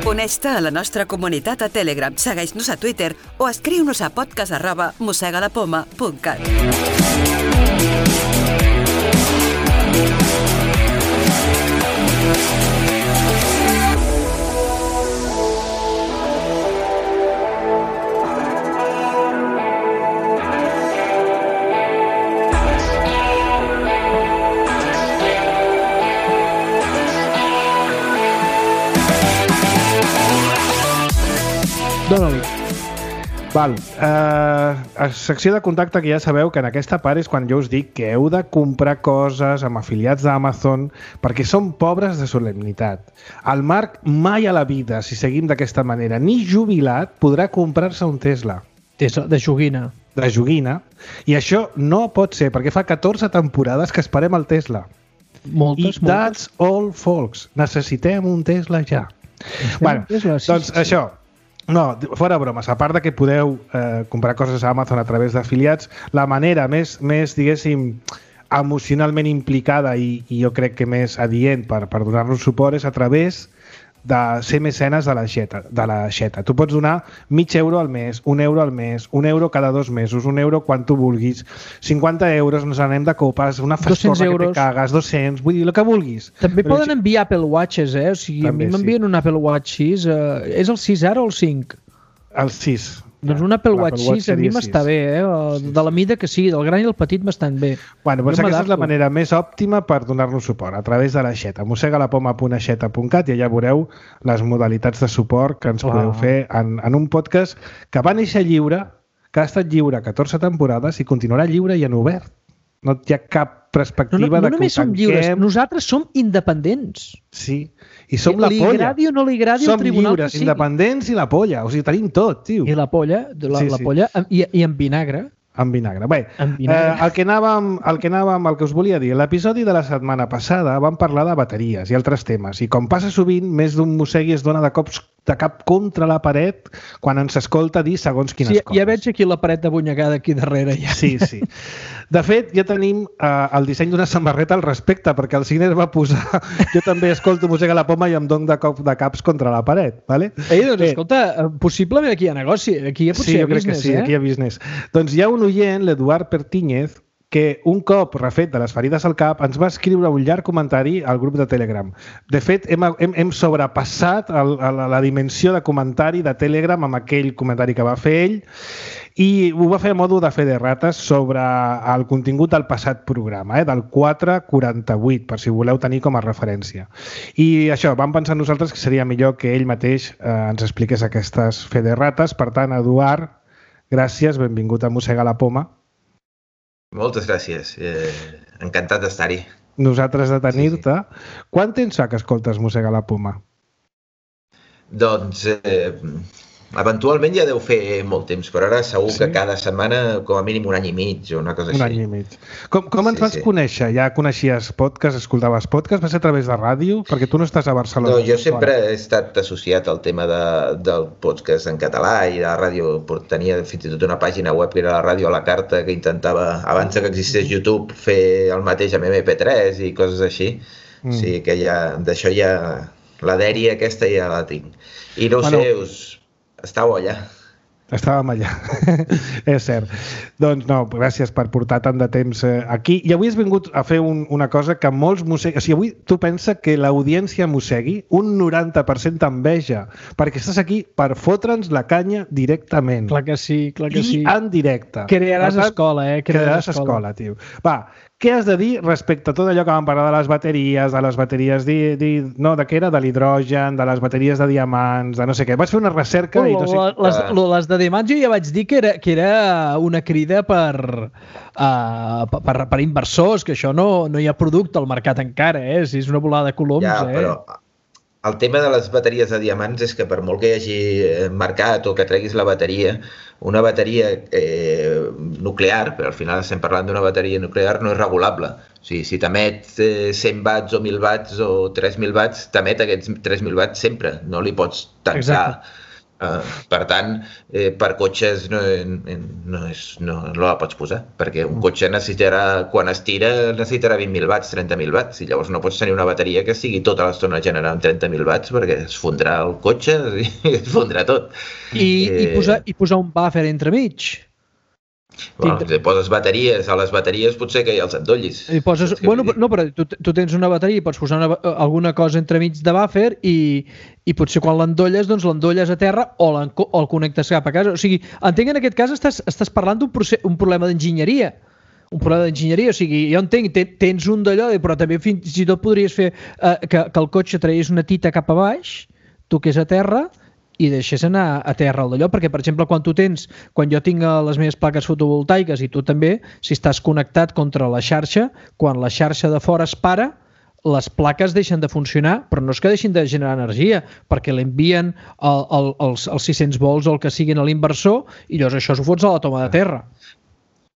Uneix-te a la nostra comunitat a Telegram, segueix-nos a Twitter o escriu-nos a podcast@mossegalapoma.cat. Dóna-li. Val. A secció de contacte, que ja sabeu que en aquesta part és quan jo us dic que heu de comprar coses amb afiliats d'Amazon perquè són pobres de solemnitat. El Marc mai a la vida, si seguim d'aquesta manera, ni jubilat, podrà comprar-se un Tesla. Tesla de joguina. De joguina. I això no pot ser, perquè fa 14 temporades que esperem el Tesla. Moltes. That's all, folks. Necessitem un Tesla ja. Bueno, doncs això. No, fora bromes, a part de que podeu comprar coses a Amazon a través d'afiliats, la manera més diguéssim, emocionalment implicada i jo crec que més adient per donar-nos suport és a través de ser mecenes de la Xeta. Tu pots donar €0,5 al mes, €1 al mes, €1 cada 2 mesos, €1 quan tu vulguis, 50 €, ens anem de copes, una frescona que te cagues, 200, vull dir, el que vulguis. També poden enviar Apple Watches, O sigui, també, a mi m'envien un Apple Watch 6, és el 6 ara o el 5? El 6. Doncs un Apple Watch 6 a mi m'està bé, de la mida que sigui, del gran i el petit m'estan bé. Bueno, doncs aquesta és la manera més òptima per donar-nos suport, a través de la Xeta. mossegalapoma.xeta.cat i allà veureu les modalitats de suport que ens podeu fer en un podcast que va néixer lliure, que ha estat lliure 14 temporades i continuarà lliure i en obert. No hi ha cap perspectiva de que ho tanquem. No només som lliures, nosaltres som independents. Sí, i som la polla. Li agradi o no li agradi el tribunal lliures, que sigui. Independents i la polla, o sigui, tenim tot, tio. I la polla, la polla i amb vinagre. Amb vinagre. Bé, el que us volia dir, l'episodi de la setmana passada vam parlar de bateries i altres temes, i com passa sovint, més d'un mossegui es dona de cap contra la paret quan ens escolta dir segons quines coses. Ja veig aquí la paret abunyegada aquí darrere. Ja. Sí. De fet, ja tenim el disseny d'una samarreta al respecte, perquè el Ciner va posar jo també escolto Mossega la Poma i em dono de cop de caps contra la paret. Vale? Doncs escolta, possiblement aquí hi ha negoci, aquí potser hi ha business. Sí, jo crec que sí, aquí hi ha business. Doncs hi ha un oient, l'Eduard Pertíñez, que un cop refet de les ferides al cap ens va escriure un llarg comentari al grup de Telegram. De fet, hem sobrepassat la dimensió de comentari de Telegram amb aquell comentari que va fer ell i ho va fer a modo de fe de rates sobre el contingut del passat programa, del 448, per si voleu tenir com a referència. I això, vam pensar nosaltres que seria millor que ell mateix ens expliqués aquestes fe de rates. Per tant, Eduard, gràcies, benvingut a Mossega la Poma. Moltes gràcies, encantat d'estar-hi. Nosaltres de tenir-te. Sí. Quant temps fa que escoltes Mossega la Poma? Doncs eventualment ja deu fer molt temps, però ara segur que cada setmana com a mínim un any i mig o una cosa així. Un any i mig. Com ens vas conèixer? Ja coneixies podcast, escoltaves podcast? Va ser a través de ràdio? Perquè tu no estàs a Barcelona. No, jo sempre he estat associat al tema del podcast en català i la ràdio. Tenia fins i tot una pàgina web que era la Ràdio a la Carta, que intentava, abans que existés YouTube, fer el mateix amb MP3 i coses així. O sigui que d'això ja la dèria aquesta ja la tinc. I no ho sé, estàveu allà. Estàvem allà, és cert. Doncs no, gràcies per portar tant de temps aquí. I avui has vingut a fer una cosa que molts mosseguis... O sigui, avui tu pensa que l'audiència mossegui un 90% t'enveja, perquè estàs aquí per fotre'ns la canya directament. Clar que sí, clar que sí. I en directe. Crearàs escola, Crearàs escola, tio. Va, què has de dir respecte a tot allò que vam parlar de les bateries, de què era? De l'hidrogen, de les bateries de diamants, de no sé què. Vaig fer una recerca i tot... Les de diamants jo ja vaig dir que era una crida per inversors, que això no hi ha producte al mercat encara, si és una volada de coloms. Ja, però el tema de les bateries de diamants és que per molt que hi hagi mercat o que treguis la bateria, una bateria nuclear, però al final estem parlant d'una bateria nuclear, no és regulable. O sigui, si t'emet 100 watts o 1.000 watts o 3.000 watts, t'emet aquests 3.000 watts sempre, no li pots tancar. Exacte. Per tant, per cotxes no la pots posar, perquè un cotxe necessitarà, quan es tira, necessitarà 20.000 watts, 30.000 watts, i llavors no pots tenir una bateria que estigui tota l'estona generant 30.000 watts perquè es fondrà el cotxe i es fondrà tot. I posar un buffer entremig. Bueno, si poses bateries, a les bateries potser que ja els endollis. No, però tu tens una bateria i pots posar alguna cosa entremig de buffer i potser quan l'endolles, doncs l'endolles a terra o el connectes cap a casa. O sigui, entenc que en aquest cas estàs parlant d'un problema d'enginyeria. Un problema d'enginyeria, o sigui, jo entenc, tens un d'allò, però també fins i tot podries fer que el cotxe tragués una tita cap a baix, toqués a terra i deixés anar a terra el d'allò, perquè, per exemple, quan jo tinc les meves plaques fotovoltaiques i tu també, si estàs connectat contra la xarxa, quan la xarxa de fora es para, les plaques deixen de funcionar, però no és que deixin de generar energia, perquè l'envien els 600 volts o el que siguin a l'inversor i llavors això s'ho fots a la toma de terra.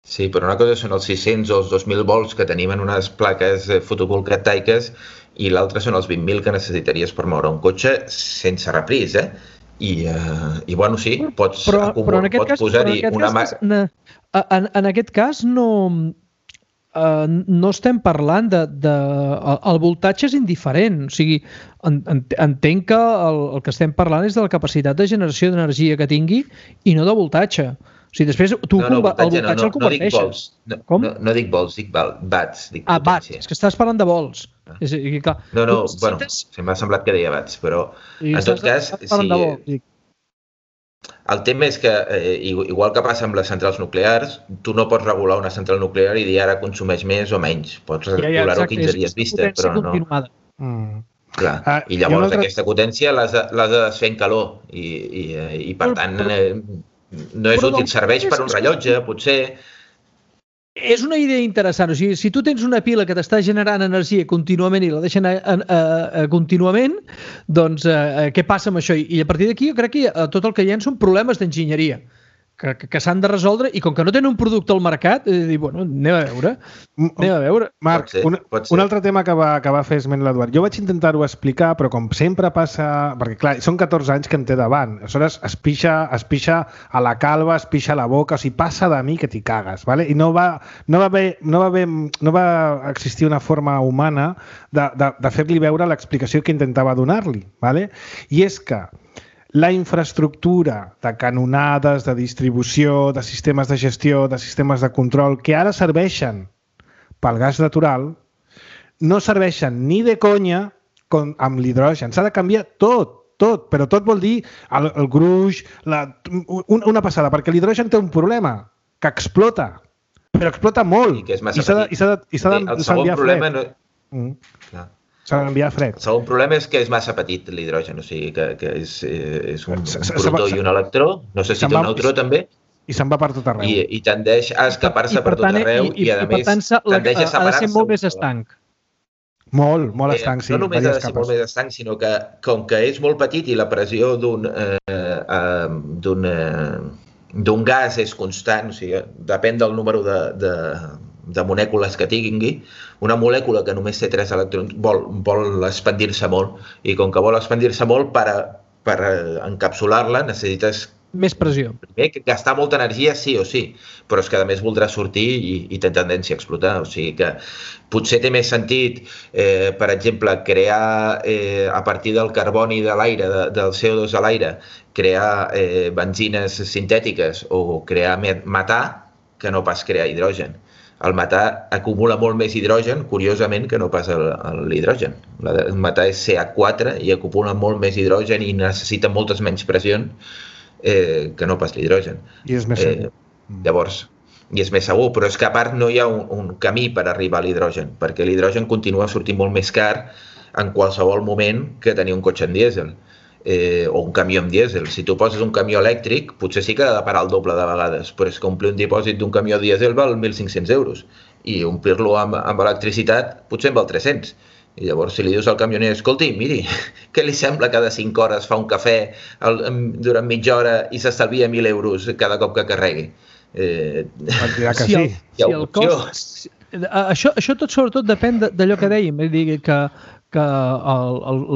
Sí, però una cosa són els 600 o els 2.000 volts que tenim en unes plaques fotovoltaiques i l'altra són els 20.000 que necessitaries per moure un cotxe sense repris, I bueno, sí, pots posar-hi una... En aquest cas no estem parlant el voltatge és indiferent, o sigui, entenc que el que estem parlant és de la capacitat de generació d'energia que tingui i no de voltatge. O sigui, després tu el voltatge el converteixes. No dic volts, dic watts. Watts, és que estàs parlant de volts. Bueno, m'ha semblat que deia watts, però en tot cas, el tema és que, igual que passa amb les centrals nuclears, tu no pots regular una central nuclear i dir ara consumeix més o menys. Pots regular-ho 15 dies vista, però no... Clar, i llavors aquesta potència l'has de desfer en calor i per tant no és útil, serveix per un rellotge, potser... És una idea interessant, o sigui, si tu tens una pila que t'està generant energia contínuament i la deixen contínuament, doncs què passa amb això? I a partir d'aquí jo crec que tot el que hi ha són problemes d'enginyeria que s'han de resoldre i com que no tenen un producte al mercat, bueno, anem a veure. Marc, un altre tema que va fer esment l'Eduard. Jo vaig intentar-ho explicar, però com sempre passa... Perquè, clar, són 14 anys que em té davant. Aleshores, es pixa a la calva, es pixa a la boca, o sigui, passa de mi que t'hi cagues, ¿vale? I no va existir una forma humana de fer-li veure l'explicació que intentava donar-li, ¿vale? I és que la infraestructura de canonades, de distribució, de sistemes de gestió, de sistemes de control, que ara serveixen pel gas natural, no serveixen ni de conya amb l'hidrogen. S'ha de canviar tot, però tot vol dir el gruix, una passada, perquè l'hidrogen té un problema, que explota, però explota molt. I que és massa petit. I s'ha d'enviar fred. S'ha d'enviar fred. El segon problema és que és massa petit l'hidrogen, o sigui que és un protó i un electró, no sé si té un neutró també. I se'n va per tot arreu. I tendeix a escapar-se per tot arreu i a més tendeix a separar-se. Ha de ser molt més estanc. Molt estanc, sí. No només ha de ser molt més estanc, sinó que com que és molt petit i la pressió d'un gas és constant, o sigui, depèn del número de molècules que tingui, una molècula que només té 3 electrons vol expandir-se molt i com que vol expandir-se molt per encapsular-la necessites més pressió. Primer, gastar molta energia sí o sí, però és que a més voldrà sortir i té tendència a explotar, o sigui que potser té més sentit, per exemple, crear a partir del carboni de l'aire, del CO2 a l'aire, crear benzines sintètiques o crear metà que no pas crear hidrogen. El metà acumula molt més hidrogen, curiosament, que no pas l'hidrogen. El metà és CH4 i acumula molt més hidrogen i necessita moltes menys pressions que no pas l'hidrogen. I és més segur. Llavors, i és més segur, però és que a part no hi ha un camí per arribar a l'hidrogen, perquè l'hidrogen continua sortint molt més car en qualsevol moment que tenir un cotxe en dièsel o un camió amb dièsel. Si tu poses un camió elèctric, potser sí que ha de parar el doble de vegades, però és que omplir un dipòsit d'un camió dièsel val 1.500 euros i omplir-lo amb electricitat potser en val 300. I llavors si li dius al camioner, escolti, miri, què li sembla cada 5 hores fa un cafè durant mitja hora i s'estalvia 1.000 euros cada cop que carregui? Això tot sobretot depèn d'allò que dèiem, que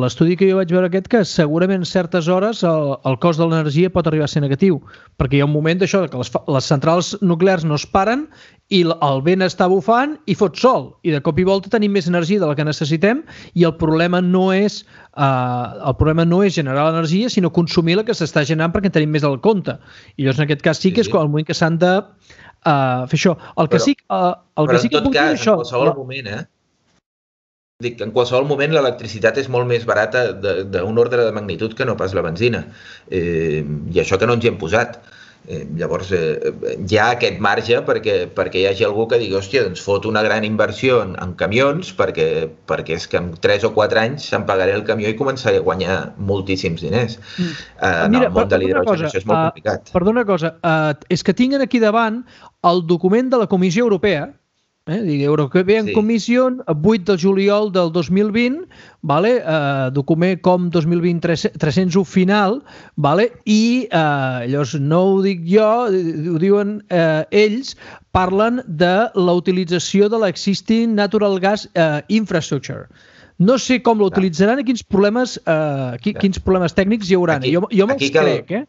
l'estudi que jo vaig veure que segurament a certes hores el cost de l'energia pot arribar a ser negatiu, perquè hi ha un moment d'això que les centrals nuclears no es paren i el vent està bufant i fot sol, i de cop i volta tenim més energia de la que necessitem i el problema no és generar l'energia, sinó consumir la que s'està generant perquè en tenim més al compte. I llavors en aquest cas sí que és el moment que s'han de fer això. Però en tot cas, en qualsevol moment, dic que en qualsevol moment l'electricitat és molt més barata d'un ordre de magnitud que no pas la benzina. I això que no ens hi hem posat. Llavors hi ha aquest marge perquè hi hagi algú que digui, hòstia, doncs fot una gran inversió en camions perquè és que en 3 o 4 anys se'n pagaré el camió i començaré a guanyar moltíssims diners. En el món de l'hidrogen això és molt complicat. Perdona una cosa, és que tinc aquí davant el document de la Comissió Europea, European Commission, 8 de juliol del 2020, document com 2020-301 final, i llavors no ho dic jo, ho diuen ells, parlen de la utilització de l'existing natural gas infrastructure. No sé com l'utilitzaran i quins problemes tècnics hi haurà. Jo me'ls crec,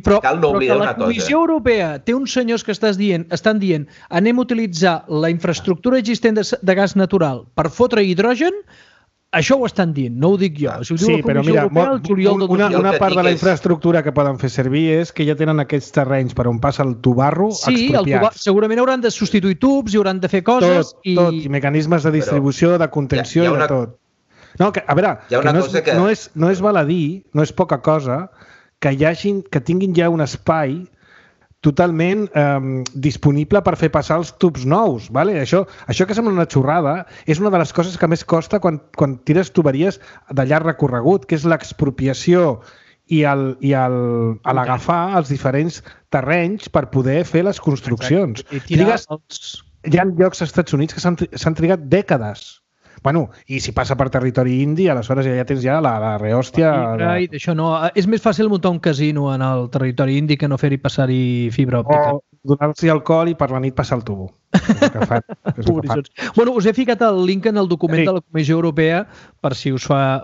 però que la Comissió Europea té uns senyors que estan dient anem a utilitzar la infraestructura existent de gas natural per fotre hidrogen, això ho estan dient, no ho dic jo. Sí, però mira, una part de la infraestructura que poden fer servir és que ja tenen aquests terrenys per on passa el tubarro expropiats. Sí, segurament hauran de substituir tubs i hauran de fer coses. Tot, i mecanismes de distribució, de contenció i de tot. No, a veure, no és baladí, no és poca cosa que tinguin ja un espai totalment disponible per fer passar els tubs nous. Això que sembla una xorrada és una de les coses que més costa quan tires tuberies de llarg recorregut, que és l'expropiació i l'agafar els diferents terrenys per poder fer les construccions. Hi ha llocs als Estats Units que s'han trigat dècades. I si passa per territori indi, aleshores ja tens la rehòstia... És més fàcil muntar un casino en el territori indi que no fer-hi passar-hi fibra òptica. O donar-s'hi alcohol i per la nit passar el tubo. Us he ficat el link en el document de la Comissió Europea per si us fa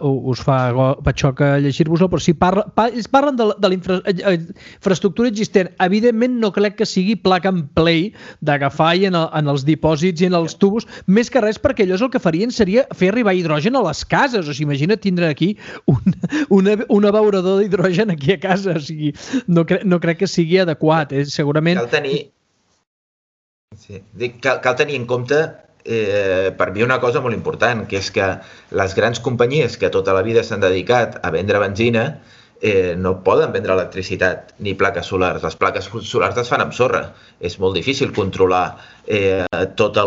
patxoc a llegir-vos-lo, però si parlen de la infraestructura existent, evidentment no crec que sigui plug and play d'agafar en els dipòsits i en els tubos, més que res perquè allò és el que farien seria fer arribar hidrogen a les cases. O sigui, imagina't tindre aquí un abeurador d'hidrogen aquí a casa. O sigui, no crec que sigui adequat. Segurament... Cal tenir en compte per mi una cosa molt important, que és que les grans companyies que tota la vida s'han dedicat a vendre benzina no poden vendre electricitat ni plaques solars. Les plaques solars es fan amb sorra. És molt difícil controlar tota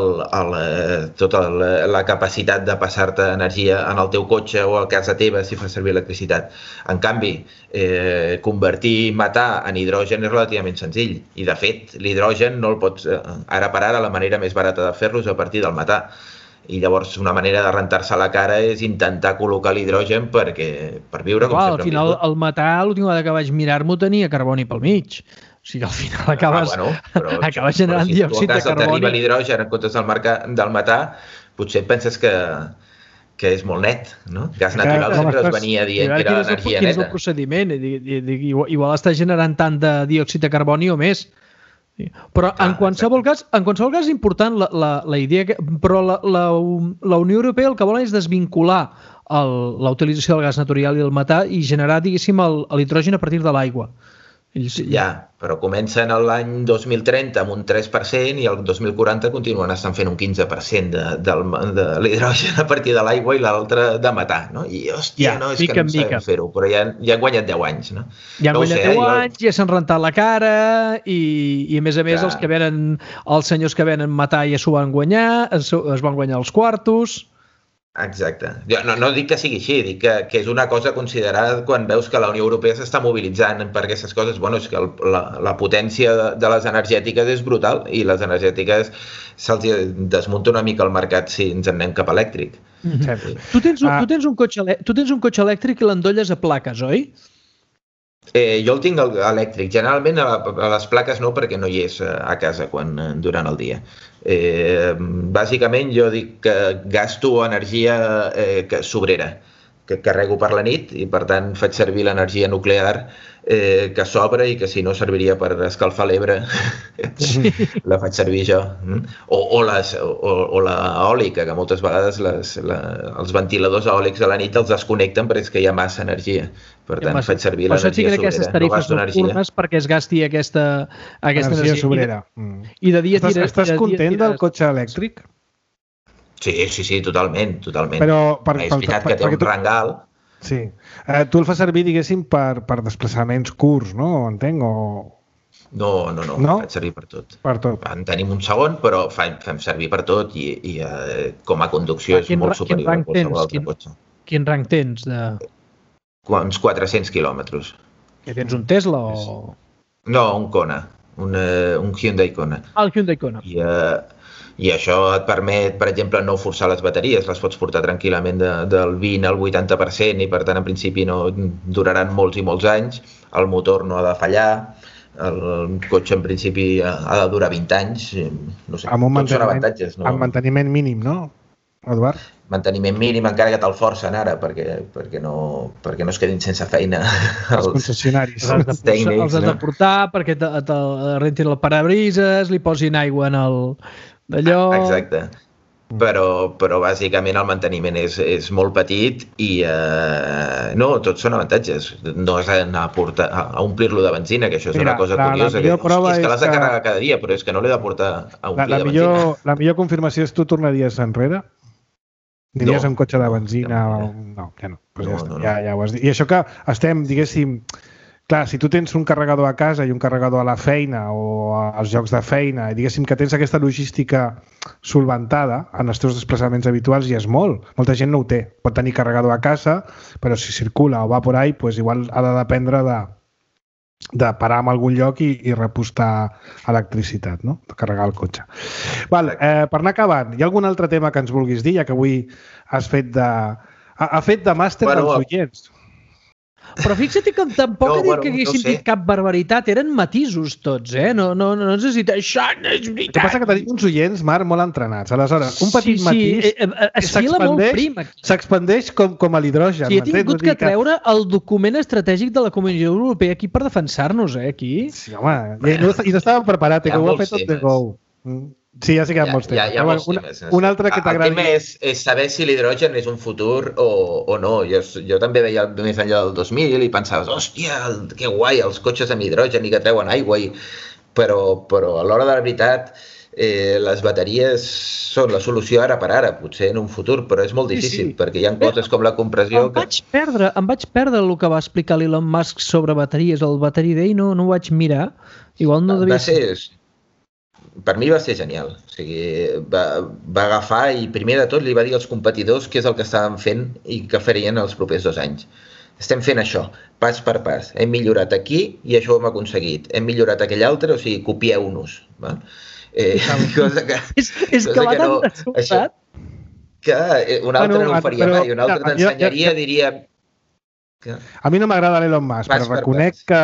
la capacitat de passar-te energia en el teu cotxe o a casa teva si fas servir electricitat. En canvi, convertir metà en hidrogen és relativament senzill. I, de fet, l'hidrogen no el pots... Ara per ara, la manera més barata de fer-lo és a partir del metà. I llavors una manera de rentar-se la cara és intentar col·locar l'hidrogen per viure com sempre. Al final el metà, l'última vegada que vaig mirar-m'ho, tenia carboni pel mig. O sigui, al final acabes generant diòxid de carboni. Si t'arriba l'hidrogen en comptes del metà, potser penses que és molt net, no? Gas natural sempre es venia dient que era l'energia neta. Quin és el procediment? Igual està generant tant de diòxid de carboni o més. Però en qualsevol cas és important la idea, però la Unió Europea el que vol és desvincular la utilització del gas natural i el metà i generar, diguéssim, l'hidrogen a partir de l'aigua. Ja, però comencen l'any 2030 amb un 3% i el 2040 continuen estant fent un 15% de l'hidrogen a partir de l'aigua i l'altre de metà, no? I, hòstia, no, és que no sabem fer-ho, però ja han guanyat 10 anys, no? Ja han guanyat 10 anys, ja s'han rentat la cara i a més els senyors que venen matar ja s'ho van guanyar, es van guanyar els quartos... Exacte. Jo no dic que sigui així, dic que és una cosa considerada quan veus que la Unió Europea s'està mobilitzant per aquestes coses. Bueno, és que la potència de les energètiques és brutal i les energètiques se'ls desmunta una mica el mercat si ens en anem cap elèctric. Tu tens un cotxe elèctric i l'endolles a plaques, oi? Jo el tinc elèctric. Generalment a les plaques no, perquè no hi és a casa durant el dia. Bàsicament jo dic que gasto energia sobrera, que carrego per la nit i per tant faig servir l'energia nuclear que sobra i que si no serviria per escalfar l'Ebre la faig servir jo. O l'eòlica, que moltes vegades els ventiladors eòlics a la nit els desconnecten perquè és que hi ha massa energia. Per tant, faig servir l'energia sobrera. Aquestes tarifes nocturnes perquè es gasti aquesta energia sobrera. I de dia Estàs content del cotxe elèctric? Sí, totalment. Però és veritat que té un rang alt. Sí. Tu el fas servir, diguéssim, per desplaçaments curts, no? Entenc, o... No, faig servir per tot. Per tot. En tenim un segon, però fem servir per tot i com a conducció és molt superior a qualsevol altre cotxe. Quin rang tens? Uns 400 quilòmetres. Que tens un Tesla o...? No, un Kona, un Hyundai Kona. El Hyundai Kona. I això et permet, per exemple, no forçar les bateries, les pots portar tranquil·lament del 20 al 80% i per tant en principi no duraran molts i molts anys, el motor no ha de fallar, el cotxe en principi ha de durar 20 anys, no sé, tots són avantatges. Amb manteniment mínim, no, Eduard? Manteniment mínim, encara que te'l forcen ara, perquè no es quedin sense feina els concessionaris. Els has de portar perquè te rentin el parabrises, li posin aigua en d'allò... Exacte. Però bàsicament el manteniment és molt petit i no, tots són avantatges. No has d'anar a omplir-lo de benzina, que això és una cosa curiosa. És que l'has de carregar cada dia, però és que no l'he de portar a omplir de benzina. La millor confirmació és tu tornaries enrere? Diries un cotxe de benzina? No, ja no. Ja ho has dit. I això que estem, diguéssim... Clar, si tu tens un carregador a casa i un carregador a la feina o als llocs de feina i diguéssim que tens aquesta logística solventada en els teus desplaçaments habituals ja és molt. Molta gent no ho té. Pot tenir carregador a casa, però si circula o va por ahí, pues igual ha de dependre de parar en algun lloc i repostar electricitat, no? De carregar el cotxe. Per anar acabant, hi ha algun altre tema que ens vulguis dir, ja que avui has fet de màster dels oients? Però fixa't que tampoc he dit que haguéssim dit cap barbaritat, eren matisos tots, No ens has dit, això no és veritat. El que passa que tenim uns oients, Marc, molt entrenats. Aleshores, un petit matís s'expandeix com a l'hidrogen. Sí, he tingut que treure el document estratègic de la Comissió Europea aquí per defensar-nos, aquí. Sí, home, i no estàvem preparats, que ho ha fet tot de go. Sí, ja sé que hi ha molts temes. Hi ha molts temes. Un altre que t'agradi... El tema és saber si l'hidrogen és un futur o no. Jo també veia més enllà del 2000 i pensaves, hòstia, que guai, els cotxes amb hidrogen i que treuen aigua. Però a l'hora de la veritat, les bateries són la solució ara per ara, potser en un futur, però és molt difícil, perquè hi ha coses com la compressió... Em vaig perdre el que va explicar l'Elon Musk sobre bateries. El Battery Day no ho vaig mirar. Igual no devia ser... Per mi va ser genial. O sigui, va agafar i primer de tot li va dir als competidors què és el que estaven fent i què farien els propers 2 anys. Estem fent això, pas per pas. Hem millorat aquí i això ho hem aconseguit. Hem millorat aquell altre, o sigui, copieu-nos. Cosa que... És que va tan resultat. Que un altre no ho faria mai. Un altre t'ensenyaria, diria... A mi no m'agrada l'Elon Musk, però reconec que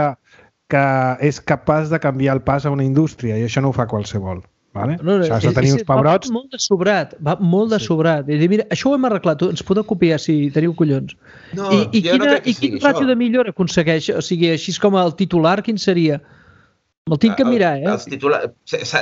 és capaç de canviar el pas a una indústria i això no ho fa qualsevol. Vale? Has de tenir uns pebrots... Va molt de sobrat. I dir, mira, això ho hem arreglat, ens podeu copiar si teniu collons. I quin ràtio de millora aconsegueix? O sigui, així com el titular, quin seria? Me'l tinc que mirar, Els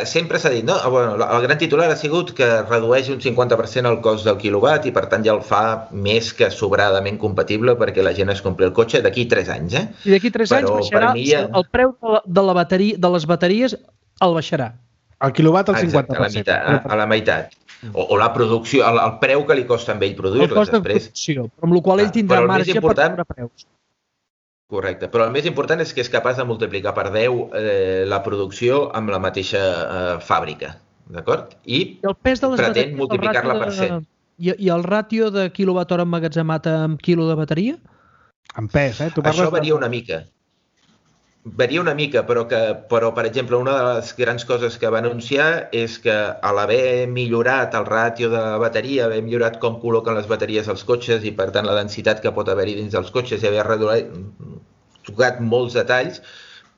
sempre s'ha dit, no? Bueno, el gran titular ha sigut que redueix un 50% el cost del quilowatt i per tant ja el fa més que sobradament compatible perquè la gent es compri el cotxe d'aquí 3 anys. I d'aquí 3 anys baixarà el preu de la bateria, de les bateries el baixarà. El quilowatt al 50%. Exacte, a la meitat. O la producció, el preu que li costa a ell produir-les després. El cost de producció, però amb la qual ell tindrà marge per treure preus. Correcte, però el més important és que és capaç de multiplicar per 10 la producció amb la mateixa fàbrica, d'acord? I el pes de les pretén multiplicar-la per 100. I el ràtio de quilowatt-hora emmagatzemat amb quilo de bateria? En pes, Tu això varia una mica. Varia una mica, però, per exemple, una de les grans coses que va anunciar és que a l'haver millorat el ràtio de bateria, haver millorat com col·loquen les bateries als cotxes i, per tant, la densitat que pot haver-hi dins dels cotxes i haver tocat molts detalls,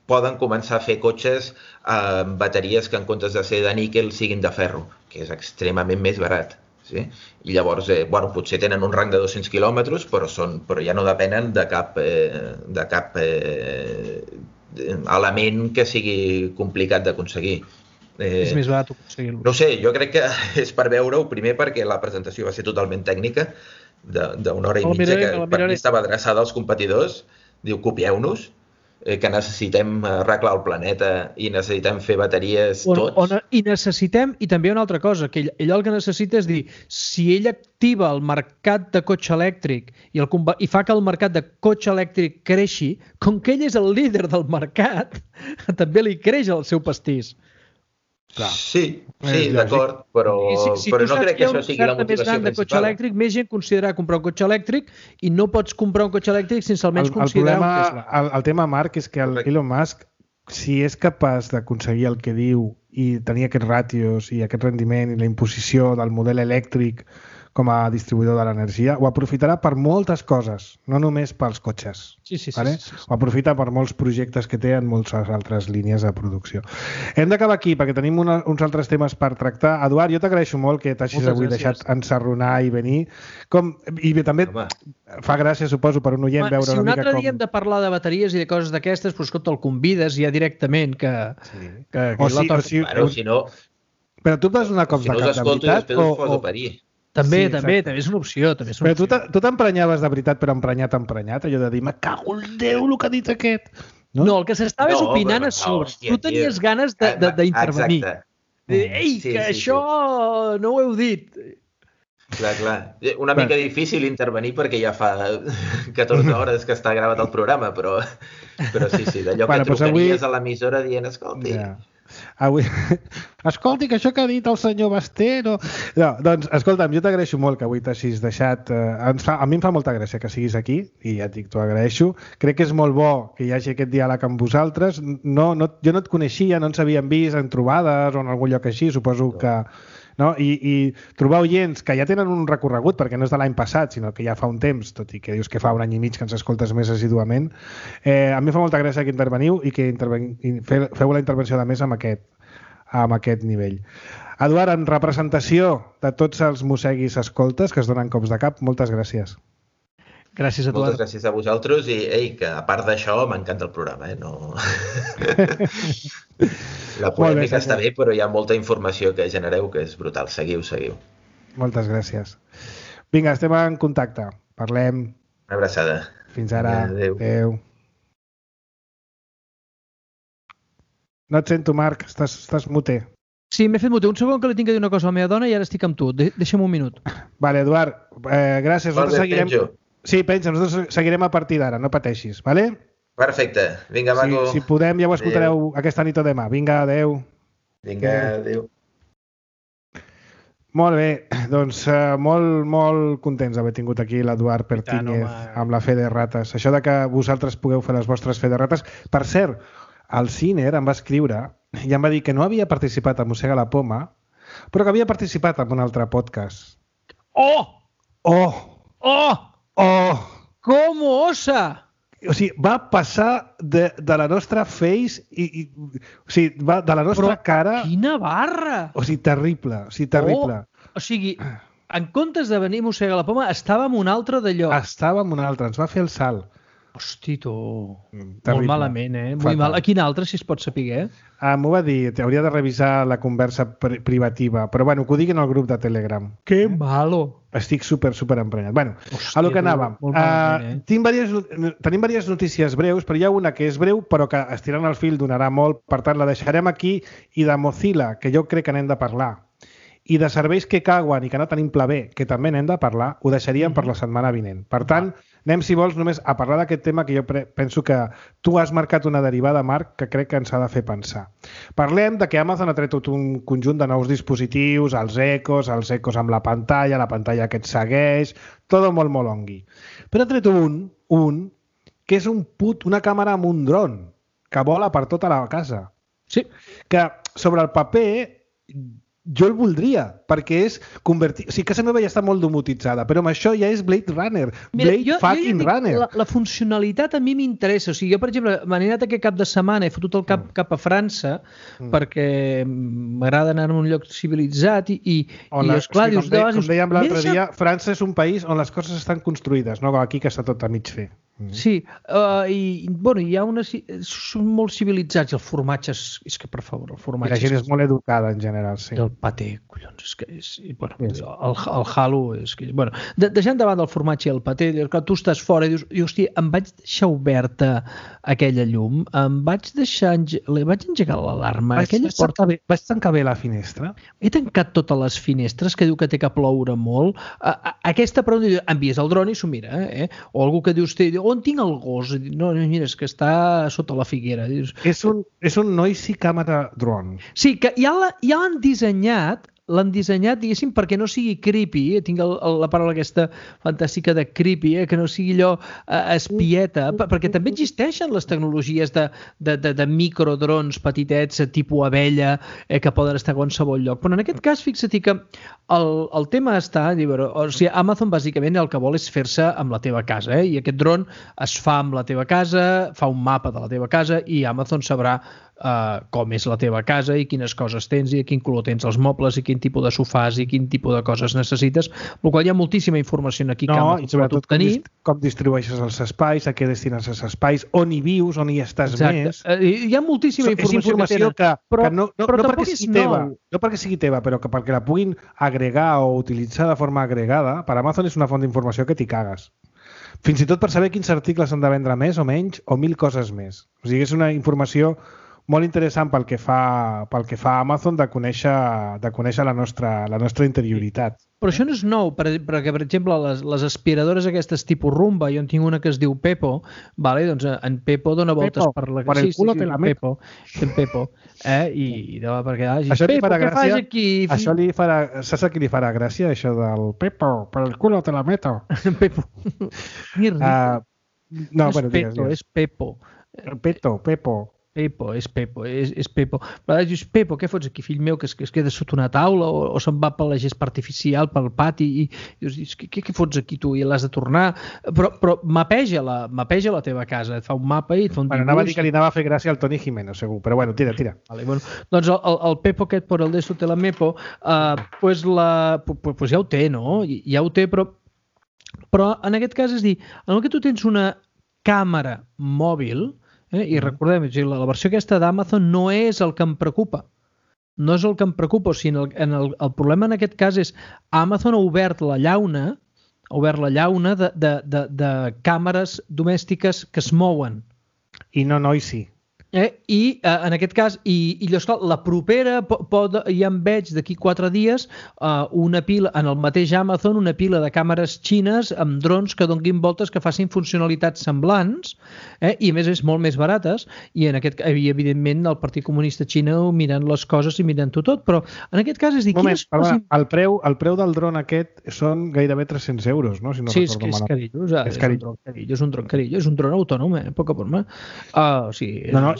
poden començar a fer cotxes amb bateries que en comptes de ser de níquel siguin de ferro, que és extremament més barat. Sí? I llavors, potser tenen un rang de 200 quilòmetres, però ja no depenen de cap element que sigui complicat d'aconseguir. És més barat aconseguir-lo. No sé, jo crec que és per veure-ho, primer perquè la presentació va ser totalment tècnica, d'una hora i mitja, que per mi estava adreçada als competidors, diu copieu-nos, que necessitem arreglar el planeta i necessitem fer bateries tots. I necessitem, i també una altra cosa, que ell el que necessita és dir, si ell activa el mercat de cotxe elèctric i fa que el mercat de cotxe elèctric creixi, com que ell és el líder del mercat, també li creix el seu pastís. Clar. Sí, d'acord, però no crec que això sigui la motivació principal. De cotxe elèctric, més gent considerarà comprar un cotxe elèctric i no pots comprar un cotxe elèctric sense almenys considerar un Tesla. El tema, Marc, és que Elon Musk, si és capaç d'aconseguir el que diu i tenir aquests ràtios i aquest rendiment i la imposició del model elèctric com a distribuïdor de l'energia, ho aprofitarà per moltes coses, no només pels cotxes. Sí. Ho aprofita per molts projectes que té en moltes altres línies de producció. Hem d'acabar aquí perquè tenim uns altres temes per tractar. Eduard, jo t'agraeixo molt que t'hagis avui deixat ensarronar i venir. I també fa gràcia, suposo, per un oient veure una mica com... Si un altre dia hem de parlar de bateries i de coses d'aquestes, doncs escolta, el convides ja directament que si no... Però tu et vas donar cops de cap de veritat? També és una opció. Però tu t'emprenyaves de veritat, però emprenyat, allò de dir, me cago en Déu el que ha dit aquest. No, el que s'estava és opinant a sobre. Tu tenies ganes d'intervenir. Ei, que això no ho heu dit. Clar. Una mica difícil intervenir perquè ja fa 14 hores que està gravat el programa, però sí, d'allò que trucaries a l'emissora dient, escolti... Escolti, que això que ha dit el senyor Basté no, doncs, escolta'm, jo t'agraeixo molt que avui t'hagis deixat a mi em fa molta gràcia que siguis aquí i ja et dic, t'ho agraeixo, crec que és molt bo que hi hagi aquest diàleg amb vosaltres jo no et coneixia, no ens havíem vist en trobades o en algun lloc així, suposo que no? I trobar oients que ja tenen un recorregut, perquè no és de l'any passat, sinó que ja fa un temps, tot i que dius que fa un any i mig que ens escoltes més assiduament, a mi fa molta gràcia que interveniu i que feu la intervenció de més amb aquest nivell. Eduard, en representació de tots els mosseguis escoltes que es donen cops de cap, moltes gràcies. Gràcies a tu. Moltes gràcies a vosaltres i que a part d'això m'encanta el programa. No... La polèmica està bé, però hi ha molta informació que genereu que és brutal. Seguiu. Moltes gràcies. Vinga, estem en contacte. Parlem. Una abraçada. Fins ara. Adéu. No et sento, Marc. Estàs muter. Sí, m'he fet muter. Un segon que li tinc que dir una cosa a la meva dona i ara estic amb tu. Deixa'm un minut. Vale, Eduard. Gràcies. Penjo. Sí, penja. Nosaltres seguirem a partir d'ara. No pateixis, vale? Perfecte. Vinga, maco. Si podem, ja ho escoltareu aquesta nit o demà. Vinga, adeu. Vinga, adeu. Molt bé, doncs molt contents d'haver tingut aquí l'Eduard Pertíñez amb la Fe de Rates. Això de que vosaltres pugueu fer les vostres Fe de Rates. Per cert, el Ciner em va escriure i em va dir que no havia participat a Mossega la Poma, però que havia participat en un altre podcast. Com osa! O sigui, va passar de la nostra face o sigui, de la nostra cara... Quina barra! O sigui, terrible. O sigui, en comptes de venir a Mossega la Poma, estàvem un altre d'allò. Estàvem un altre, ens va fer el salt. Hosti, tu. Molt Terrible. malament, Molt Fatal. mal. A quin altre, si es pot saber? M'ho va dir, hauria de revisar la conversa privativa, però bueno, que ho diguin al grup de Telegram. Que malo. Estic super emprenyat. Bueno, Hòstia, a lo que anàvem. molt malament, Tenim diverses notícies breus, però hi ha una que és breu, però que estirant el fil donarà molt, per tant la deixarem aquí, i de Mozilla, que jo crec que n'hem de parlar, i de serveis que cauen i que no tenim pla B, que també n'hem de parlar, ho deixaríem per la setmana vinent. Per tant, anem, si vols, només a parlar d'aquest tema que jo penso que tu has marcat una derivada, Marc, que crec que ens ha de fer pensar. Parlem de que Amazon ha tret tot un conjunt de nous dispositius, els Echos amb la pantalla que et segueix, tot molt ongui. Però ha tret un que és una càmera amb un dron que vola per tota la casa. Sí. Que sobre el paper jo el voldria, perquè és convertir... O sigui, casa meva ja està molt domotitzada, però amb això ja és Blade Runner. Runner. La funcionalitat a mi m'interessa. O sigui, jo, per exemple, m'he anat aquest cap de setmana, he fotut el cap a França, perquè m'agrada anar a un lloc civilitzat i esclar, dius... Com dèiem l'altre dia, França és un país on les coses estan construïdes, no aquí que està tot a mig fer. Sí, i hi ha són molt civilitzats, i el formatge és que, per favor, el formatge... I la gent és molt educada, en general, sí. El paté, collons, és que és... Bueno, el halo és que... Bueno, deixant davant del formatge i el paté, tu estàs fora i dius, hòstia, em vaig deixar oberta aquella llum, vaig engegar l'alarma, vaig tancar bé la finestra. He tancat totes les finestres, que diu que té que ploure molt. Aquesta, però, envies el dron i s'ho mira, o algú que dius, on tinc el gos? No, mira, és que està sota la figuera. És un noisy camera drone. Sí, que ja l'han dissenyat, diguéssim, perquè no sigui creepy, tinc la paraula aquesta fantàstica de creepy, que no sigui allò espieta, perquè també existeixen les tecnologies de microdrons petitets, tipus abella, que poden estar a qualsevol lloc. Però en aquest cas, fixa't que el tema està... O sigui, Amazon, bàsicament, el que vol és fer-se amb la teva casa, i aquest dron es fa amb la teva casa, fa un mapa de la teva casa, i Amazon sabrà com és la teva casa i quines coses tens i a quin color tens els mobles i quin tipus de sofàs i quin tipus de coses necessites, el qual hi ha moltíssima informació aquí que i sobretot com distribueixes els espais, a què destines els espais, on hi vius, on hi estàs més. Hi ha moltíssima informació que no perquè sigui teva, no perquè sigui teva, però que perquè la puguin agregar o utilitzar de forma agregada, per Amazon és una font d'informació que t'hi cagues. Fins i tot per saber quins articles han de vendre més o menys o 1000 coses més. O sigui, és una informació molt interessant pel que fa Amazon de conèixer la nostra interioritat. Però això no és nou, perquè, per exemple, les aspiradores aquestes tipus Rumba, jo en tinc una que es diu Pepo, doncs en Pepo dona voltes per la... Per el culo te la meto. En Pepo. I perquè això li farà gràcia. Això li farà... Saps a qui li farà gràcia, això del Pepo, per el culo te la meto? Pepo. No, bueno, digues. És Pepo. Pepo. Pepo, és Pepo. Però dius, Pepo, què fots aquí, fill meu, que es queda sota una taula o se'n va per la gespa artificial, pel pati, i dius, què fots aquí tu? I l'has de tornar. Però mapeja la teva casa, et fa un mapa i et fa un dibuix. Anava a dir que li anava a fer gràcia al Toni Jiménez, segur, però bueno, tira. Vale, bueno, doncs el Pepo aquest, per el Deso te la Mepo, pues ja ho té, no? Ja ho té, però en aquest cas és dir, en el que tu tens una càmera mòbil, i recordem, la versió aquesta d'Amazon no és el que em preocupa. No és el que em preocupa, o sigui, el problema en aquest cas és Amazon ha obert la llauna de càmeres domèstiques que es mouen. I no noisy. I en aquest cas, la propera, ja em veig d'aquí 4 dies una pila, en el mateix Amazon, una pila de càmeres xines amb drons que donguin voltes, que facin funcionalitats semblants, i a més és molt més barates, i evidentment el Partit Comunista Xina mirant les coses i mirant-ho tot, però en aquest cas és dir... Moment, el preu del dron aquest són gairebé 300 euros, no? Si no sí, és carillo, és un dron carillo, és un dron autònom, poca broma.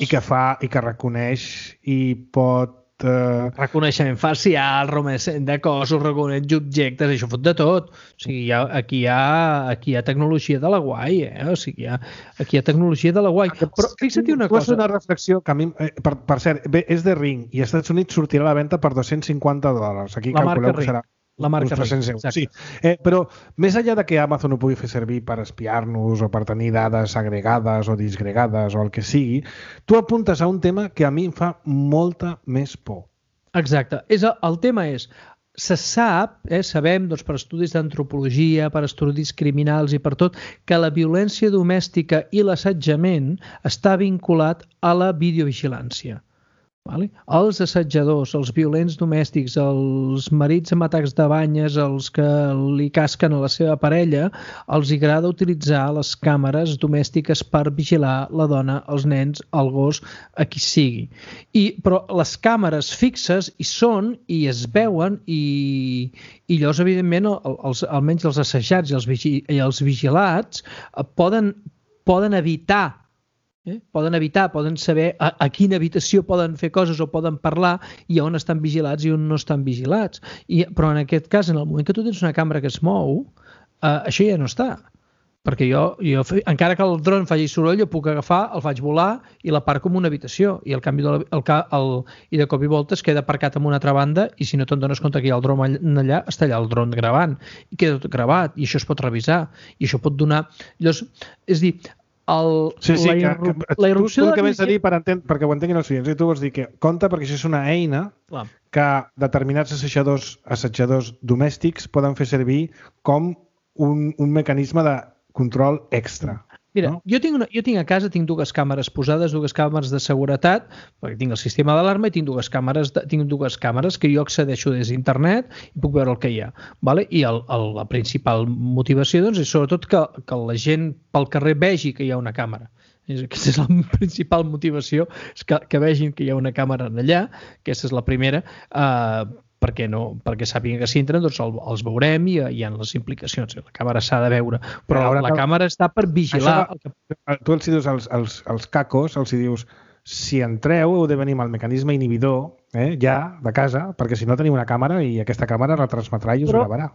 I que reconeix i pot... Reconeixement facial, reconeixement de cossos, reconeix objectes, això fot de tot. O sigui, aquí hi ha tecnologia de la guai, O sigui, aquí hi ha tecnologia de la guai. Però fixa't una cosa. Una reflexió que a mi, per cert, és de Ring i als Estats Units sortirà a la venda per $250. Aquí calculeu que serà La marca uns 300 euros. exacte. Sí. Però més enllà de que Amazon ho pugui fer servir per espiar-nos o per tenir dades agregades o disgregades o el que sigui, tu apuntes a un tema que a mi em fa molta més por. Exacte. El tema és, se sap, sabem doncs, per estudis d'antropologia, per estudis criminals i per tot, que la violència domèstica i l'assetjament està vinculat a la videovigilància. Vale? Els assetjadors, els violents domèstics, els marits amb atacs de banyes, els que li casquen a la seva parella, els agrada utilitzar les càmeres domèstiques per vigilar la dona, els nens, el gos, a qui sigui. Però les càmeres fixes hi són i es veuen i llavors, evidentment, almenys els assajats i els vigilats poden evitar poden saber a quina habitació poden fer coses o poden parlar i on estan vigilats i on no estan vigilats. Però en aquest cas, en el moment que tu tens una càmera que es mou, això ja no està. Perquè jo encara que el dron faci soroll, jo puc agafar, el faig volar i l'aparco en una habitació. I al canvi i de cop i volta es queda aparcat en una altra banda i si no te'n dones compte que hi ha el dron allà, està allà el dron gravant. I queda tot gravat i això es pot revisar. I això pot donar... Llavors, és dir, la irrupció de la... que vens a dir perquè ho entenguin els clients, i tu vols dir que compta perquè això és una eina que determinats assetjadors domèstics poden fer servir com un mecanisme de control extra. Mira, no? jo tinc a casa dues càmeres posades, dues càmeres de seguretat, perquè tinc el sistema d'alarma i tinc dues càmeres que jo accedeixo des d'internet i puc veure el que hi ha. Vale? I la principal motivació doncs, és sobretot que la gent pel carrer vegi que hi ha una càmera. Aquesta és la principal motivació, és que vegin que hi ha una càmera allà, aquesta és la primera, perquè sàpiguen que si entren doncs els veurem i hi ha les implicacions. La càmera s'ha de veure, però la càmera està per vigilar. Tu els dius als cacos, els dius si entreu heu de venir amb el mecanisme inhibidor ja de casa, perquè si no teniu una càmera i aquesta càmera retransmetrà i us gravarà.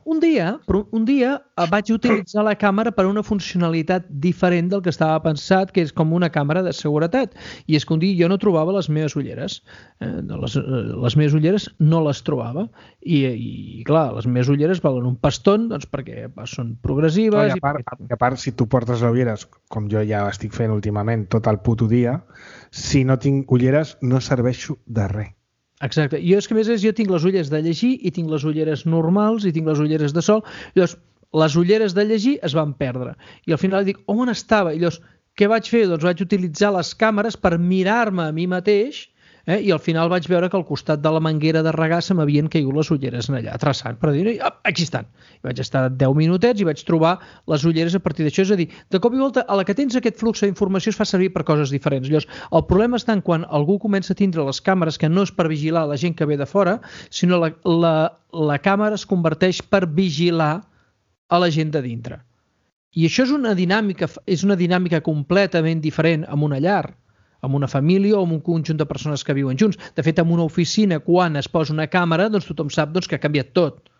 Però un dia vaig utilitzar la càmera per una funcionalitat diferent del que estava pensat, que és com una càmera de seguretat. I és que un dia jo no trobava les meves ulleres. Les meves ulleres no les trobava. I clar, les meves ulleres valen un paston doncs, perquè són progressives. I a part, si tu portes ulleres, com jo ja estic fent últimament tot el puto dia, si no tinc ulleres no serveixo de res. Exacte. Jo és que a més jo tinc les ulleres de llegir i tinc les ulleres normals i tinc les ulleres de sol. Llavors, les ulleres de llegir es van perdre. I al final dic, on estava? I llavors, què vaig fer? Doncs vaig utilitzar les càmeres per mirar-me a mi mateix i al final vaig veure que al costat de la manguera de regar se m'havien caigut les ulleres allà, traçant, per dir, aquí estan. I vaig estar 10 minutets i vaig trobar les ulleres a partir d'això. És a dir, de cop i volta, a la que tens aquest flux d'informació es fa servir per coses diferents. Llavors, el problema està en quan algú comença a tindre les càmeres que no és per vigilar la gent que ve de fora, sinó la càmera es converteix per vigilar a la gent de dintre. I això és una dinàmica completament diferent amb una llar, amb una família o amb un conjunt de persones que viuen junts. De fet, en una oficina, quan es posa una càmera, doncs tothom sap que ha canviat tot.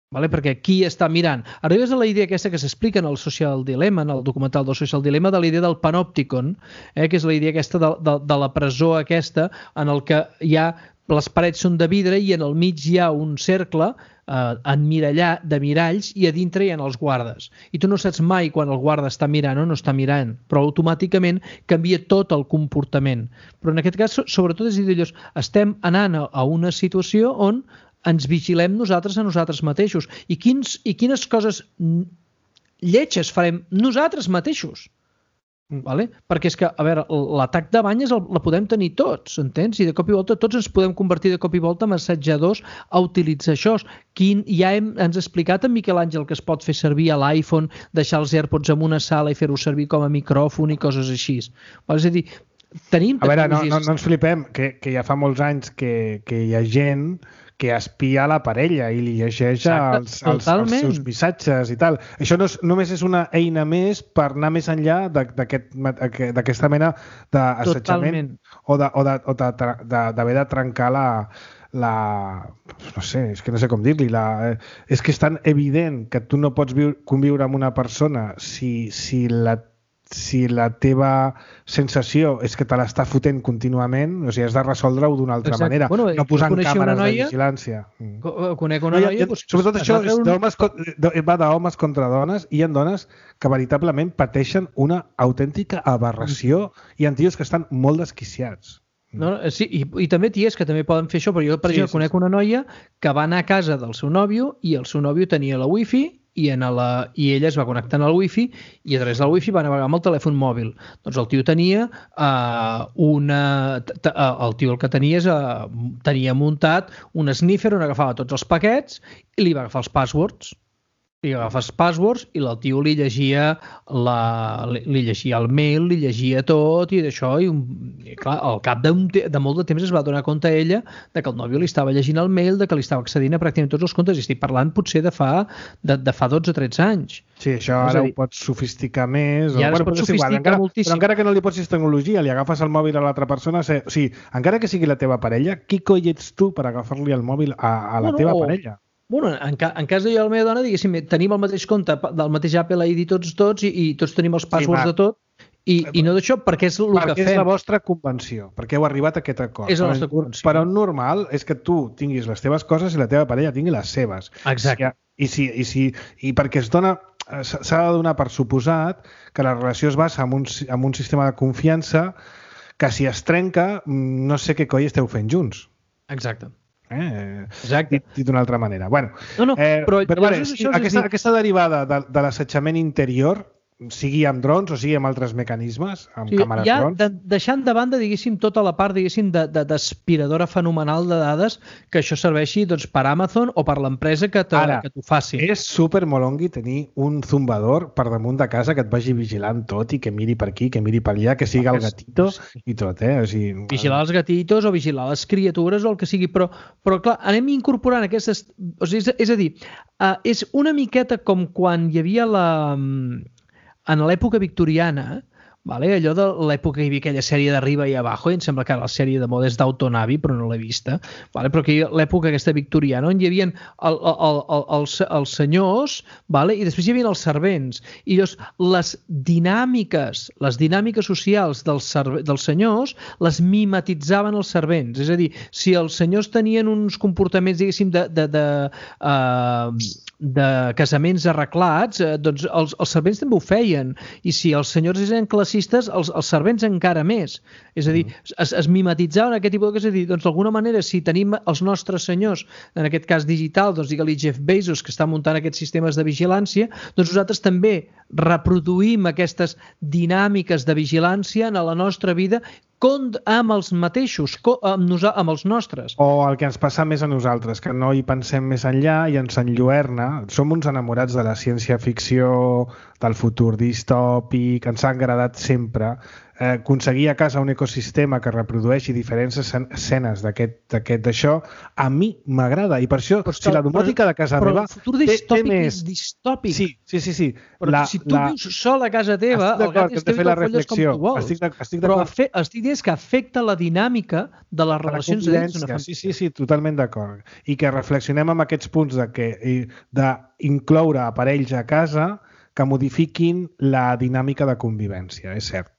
Vale? Perquè qui està mirant? Arribes a la idea aquesta que s'explica en el Social Dilemma, en el documental del Social Dilemma, de la idea del panòpticon, que és la idea aquesta de la presó aquesta, en el que hi ha les parets són de vidre i en el mig hi ha un cercle de miralls i a dintre hi ha els guardes. I tu no saps mai quan el guarda està mirant o no està mirant, però automàticament canvia tot el comportament. Però en aquest cas, sobretot, és a dir, estem anant a una situació on ens vigilem nosaltres a nosaltres mateixos. I quines coses lletges farem nosaltres mateixos? Vale? Perquè és que, a veure, l'atac de banyes la podem tenir tots, entens? I de cop i volta tots ens podem convertir de cop i volta en assajadors a utilitzar això. Ja ens ha explicat en Miquel Àngel que es pot fer servir a l'iPhone, deixar els AirPods en una sala i fer-ho servir com a micròfon i coses així. És a dir, tenim... A veure, no ens flipem, que ja fa molts anys que hi ha gent que espia la parella i li llegeix els seus missatges i tal. Això només és una eina més per anar més enllà d'aquesta mena d'assetjament o d'haver de trencar no sé, és que no sé com dir-li, és que és tan evident que tu no pots conviure amb una persona si si la teva sensació és que te l'està fotent contínuament, o sigui, has de resoldre-ho d'una altra manera, no posant càmeres de vigilància. Conec una noia... Sobretot això va d'homes contra dones, i hi ha dones que veritablement pateixen una autèntica aberració, i hi ha tios que estan molt desquiciats. No, sí, i també ties que també poden fer això, però jo, per exemple, conec una noia que va anar a casa del seu nòvio i el seu nòvio tenia la wifi i ella es va connectar al wifi i a través del wifi va navegar amb el telèfon mòbil. Doncs el tio tenia el que tenia muntat un sniffer on agafava tots els paquets i li va agafar els passwords. Li agafa els passwords i el tio li llegia el mail, li llegia tot i d'això, i clar, al cap de molt de temps es va donar compte ella de que el nòvio li estava llegint el mail, de que li estava accedint a pràcticament tots els comptes, i estic parlant potser de fa 12 o 13 anys. Sí, això ara ho pots sofisticar més. I ara es pot sofisticar moltíssim. Però encara que no li posis tecnologia, li agafes el mòbil a l'altra persona, o sigui, encara que sigui la teva parella, qui coi ets tu per agafar-li el mòbil a la teva parella? Bueno, en cas de jo i la meva dona, diguéssim, tenim el mateix compte del mateix Apple ID tots i tots tenim els passwords de tot, i no d'això, perquè és el que fem. Perquè és la vostra convenció, perquè heu arribat a aquest acord. És la nostra convenció. Però normal és que tu tinguis les teves coses i la teva parella tingui les seves. Exacte. I perquè s'ha de donar per suposat que la relació es basa en un sistema de confiança que si es trenca, no sé què coi esteu fent junts. Exacte. Exacte. Dit d'una altra manera. Bueno, però vale, aquesta derivada de l'assetjament interior, sigui amb drons o sigui amb altres mecanismes, amb càmeres drons... Deixant de banda, diguéssim, tota la part, diguéssim, d'aspiradora fenomenal de dades, que això serveixi per Amazon o per l'empresa que t'ho faci. És supermolongui tenir un zumbador per damunt de casa que et vagi vigilant tot i que miri per aquí, que miri per allà, que sigui el gatito i tot, O sigui, vigilar els gatitos o vigilar les criatures o el que sigui, però clar, anem incorporant aquestes... O sigui, és a dir, és una miqueta com quan hi havia en l'època victoriana, allò de l'època que hi havia aquella sèrie d'Arriba i Abajo, i em sembla que la sèrie de moda és d'Auton Abbey, però no l'he vista, però que l'època aquesta victoriana, on hi havia els senyors, i després hi havia els servents, i llavors les dinàmiques socials dels senyors les mimetitzaven els servents, és a dir, si els senyors tenien uns comportaments, diguéssim, de casaments arreglats, doncs els servents també ho feien, i si els senyors eren classistes, els servents encara més. És a dir, es mimetitzaven aquest tipus de coses. És a dir, doncs d'alguna manera, si tenim els nostres senyors, en aquest cas digital, doncs digue-li Jeff Bezos, que està muntant aquests sistemes de vigilància, doncs nosaltres també reproduïm aquestes dinàmiques de vigilància en la nostra vida amb els mateixos, amb els nostres. O el que ens passa més a nosaltres, que no hi pensem més enllà i ens enlluerna. Som uns enamorats de la ciència-ficció, del futur distòpic, ens ha agradat sempre aconseguir a casa un ecosistema que reprodueixi diferents escenes d'això, a mi m'agrada, i per això, si la domòtica de casa meva... Però el futur distòpic és distòpic. Sí. Però si tu vius sol a casa teva, el gat és teu i te'l folles com tu vols. Però estic dient que afecta la dinàmica de les relacions dins d'una família. Sí, totalment d'acord. I que reflexionem amb aquests punts d'incloure aparells a casa que modifiquin la dinàmica de convivència, és cert.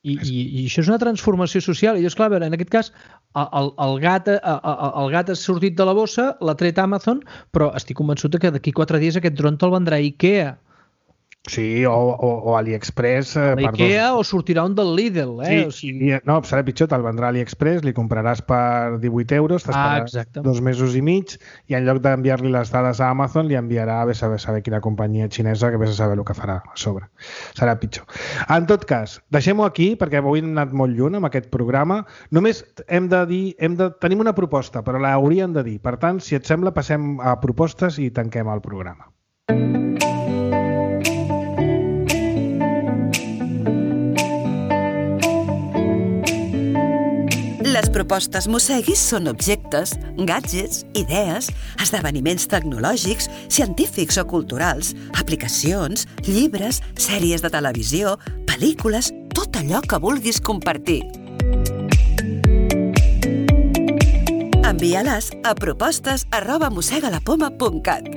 I això és una transformació social. I llavors, clar, en aquest cas, el gat ha sortit de la bossa, l'ha tret Amazon, però estic convençut que d'aquí 4 dies aquest dron te'l vendrà IKEA. Sí, o AliExpress. L'IKEA o sortirà un del Lidl. No, serà pitjor, te'l vendrà AliExpress, li compraràs per 18 euros, t'esperaràs 2 mesos i mig, i en lloc d'enviar-li les dades a Amazon, li enviarà a saber quina companyia xinesa, que vés a saber el que farà a sobre. Serà pitjor. En tot cas, deixem-ho aquí, perquè avui hem anat molt lluny amb aquest programa. Només hem de dir, tenim una proposta, però l'hauríem de dir. Per tant, si et sembla, passem a propostes i tanquem el programa. Les propostes Mosseguis són objectes, gadgets, idees, esdeveniments tecnològics, científics o culturals, aplicacions, llibres, sèries de televisió, pel·lícules, tot allò que vulguis compartir. Envia-les a propostes@mossegalapoma.cat.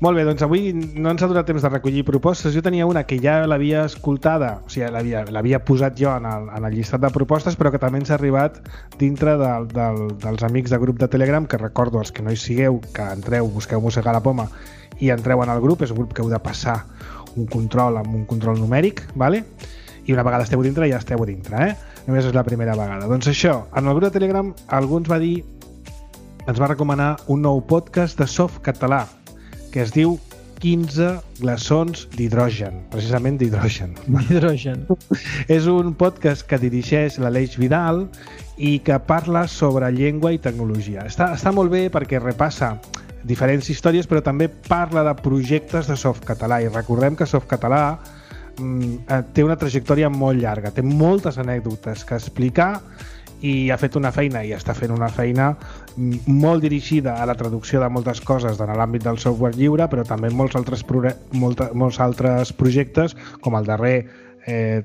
Molt bé, doncs avui no ens ha donat temps de recollir propostes. Jo tenia una que ja l'havia escoltada, o sigui, l'havia posat jo en el llistat de propostes, però que també ens ha arribat dintre dels amics de grup de Telegram, que recordo, els que no hi sigueu, que entreu, busqueu Mossegar la Poma i entreu en el grup. És un grup que heu de passar un control amb un control numèric, vale? I una vegada esteu dintre, ja esteu dintre, Només és la primera vegada. Doncs això, en el grup de Telegram algú ens va recomanar un nou podcast de Softcatalà, que es diu 15 glaçons d'hidrogen, precisament d'hidrogen. D'hidrogen. És un podcast que dirigeix l'Aleix Vidal i que parla sobre llengua i tecnologia. Està molt bé perquè repassa diferents històries, però també parla de projectes de Softcatalà, i recordem que Softcatalà té una trajectòria molt llarga, té moltes anècdotes que explicar i ha fet una feina i està fent una feina molt dirigida a la traducció de moltes coses en l'àmbit del software lliure, però també molts altres projectes, com el darrer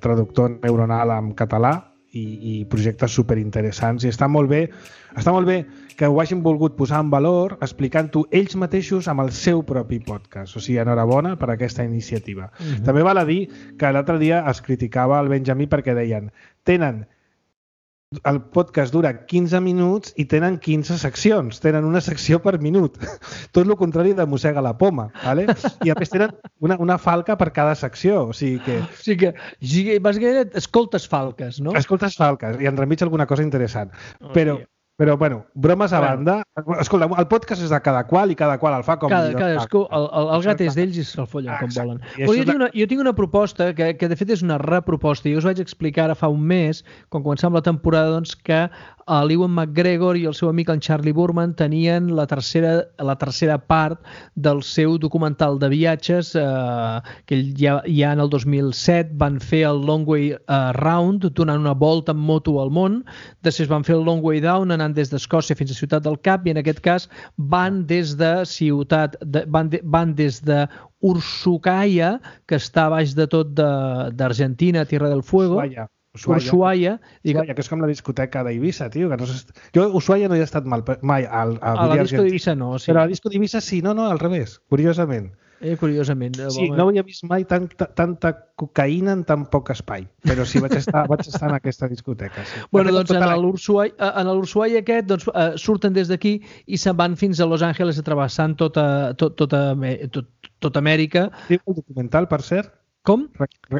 traductor neuronal en català, i projectes superinteressants. I està molt bé que ho hagin volgut posar en valor explicant-ho ells mateixos amb el seu propi podcast. O sigui, enhorabona per aquesta iniciativa. També val a dir que l'altre dia es criticava el Benjamí perquè deien el podcast dura 15 minuts i tenen 15 seccions, tenen una secció per minut, tot el contrari de Mossega la Poma, ¿vale? I a més tenen una falca per cada secció, o sigui que bàsicament escoltes falques, no? Escoltes falques i enremig alguna cosa interessant, però bueno, bromes a banda, escolta, el podcast és de cada qual i cada qual el fa com cadascú, el gat és d'ells i se'l follen com volen. Jo tinc una proposta que de fet és una reproposta, i us vaig explicar ara fa un mes, quan començàvem la temporada, doncs que l'Ewan McGregor i el seu amic en Charlie Burman tenien la tercera part del seu documental de viatges, que ja en el 2007 van fer el Long Way Round, donant una volta en moto al món, després van fer el Long Way Down, anant des d'Escòcia fins a Ciutat del Cap, i en aquest cas van des de Ushuaia, que està a baix de tot d'Argentina, Tierra del Fuego, Ushuaia, que és com la discoteca d'Eivissa, tio. Jo a Ushuaia no hi he estat mai. A la disco d'Eivissa no, sí. Però a la disco d'Eivissa sí, no, al revés, curiosament. Curiosament. Sí, no havia vist mai tanta cocaïna en tan poc espai, però sí vaig estar en aquesta discoteca. Sí. Bueno, doncs en l'Ushuaia aquest surten des d'aquí i se'n van fins a Los Angeles travessant tota Amèrica. Diu el documental, per cert? Com?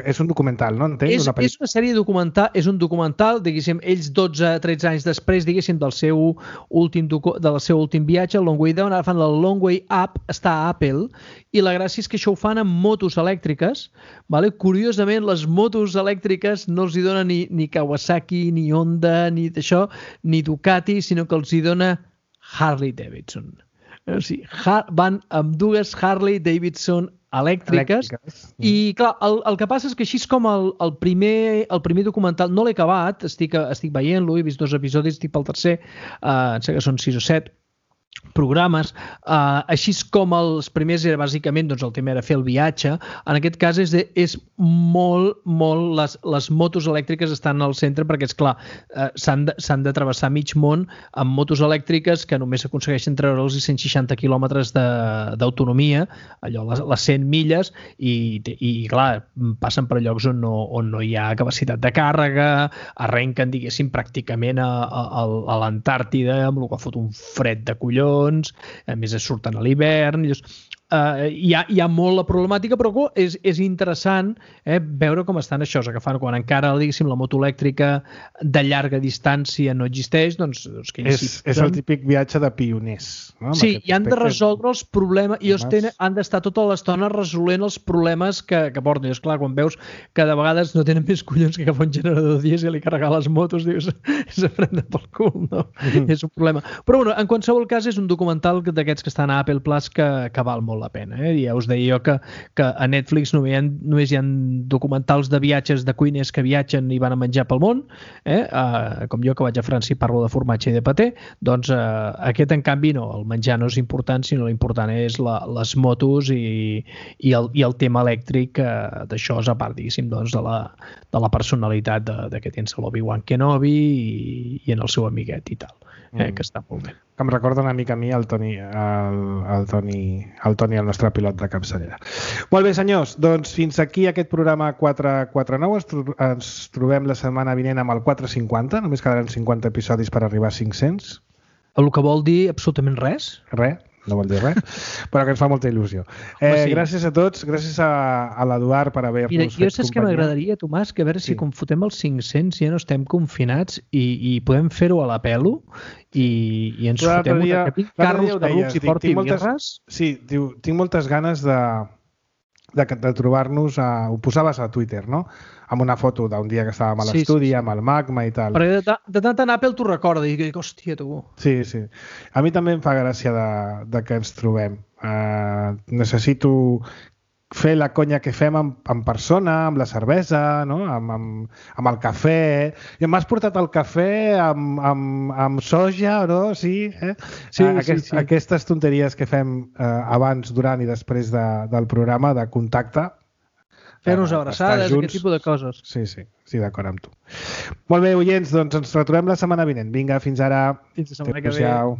És un documental, no? És una sèrie documental, és un documental, diguéssim, ells 12-13 anys després, diguéssim, del seu últim viatge, el Long Way Down, ara fan el Long Way Up, està a Apple, i la gràcia és que això ho fan amb motos elèctriques, vale? Curiosament, les motos elèctriques no els hi dona ni Kawasaki, ni Honda, ni d'això, ni Ducati, sinó que els hi dona Harley Davidson. O sigui, van amb dues Harley Davidson elèctriques. I clar, el que passa és que així és com el primer documental, no l'he acabat, estic veient-lo, he vist 2 episodis, estic pel tercer, em sembla que són 6 o 7 programes, així com els primers era bàsicament, doncs el tema era fer el viatge. En aquest cas és molt les motos elèctriques estan al centre, perquè és clar, s'han de travessar mig món amb motos elèctriques que només aconsegueixen treure'ls 160 quilòmetres d'autonomia, allò, les 100 milles, i clar, passen per llocs on no hi ha capacitat de càrrega, arrenquen, diguéssim, pràcticament a l'Antàrtida, amb el que fot un fred de collons, a més surten a l'hivern, hi ha molt la problemàtica, però és interessant veure com estan això, agafant quan encara, diguéssim, la moto elèctrica de llarga distància no existeix, doncs que és el típic viatge de pioners, no? Sí, i han de resoldre els problemes, i han d'estar tota l'estona resolent els problemes que porten. I és clar, quan veus que de vegades no tenen més collons que agafar un generador dièsel i carregar les motos, dius, és a prendre pel cul, no? És un problema. Però bueno, en qualsevol cas és un documental d'aquests que estan a Apple Plus que val molt la pena. Ja us deia jo que a Netflix només hi ha documentals de viatges de cuiners que viatgen i van a menjar pel món, com jo que vaig a França i parlo de formatge i de paté, doncs aquest en canvi no, el menjar no és important, sinó l'important és les motos i el tema elèctric d'això és a part, diguéssim, doncs, de la personalitat que tens l'Obi-Wan Kenobi i en el seu amiguet i tal, que està molt bé. que em recorda una mica a mi el Toni, el nostre pilot de capçalera. Molt bé, senyors, doncs fins aquí aquest programa 449. Ens trobem la setmana vinent amb el 450, només quedaran 50 episodis per arribar a 500. El que vol dir absolutament res. Res, no vol dir res, però que ens fa molta il·lusió. Sí. Gràcies a tots, gràcies a l'Eduard per haver-nos fet companyia. Jo saps que m'agradaria, Tomàs, que a veure si quan fotem els 500 ja no estem confinats i podem fer-ho a la pelo i ens fotem una capit carros de rucs i porti birres. Sí, diu, tinc moltes ganes de trobar-nos, ho posaves a Twitter, no? Amb una foto d'un dia que estàvem a l'estudi, amb el Magma i tal. Però de tant en Apple t'ho recorda i dic, hòstia, tu. Sí. A mi també em fa gràcia de que ens trobem. Necessito fer la conya que fem en persona, amb la cervesa, no? amb el cafè. I m'has portat el cafè amb soja, no? Sí, Sí. Aquestes tonteries que fem abans, durant i després del programa de contacte. Fer-nos abraçades, aquest tipus de coses. Sí, d'acord amb tu. Molt bé, oients, doncs ens retrobem la setmana vinent. Vinga, fins ara. Fins la setmana que ve. Adéu-siau.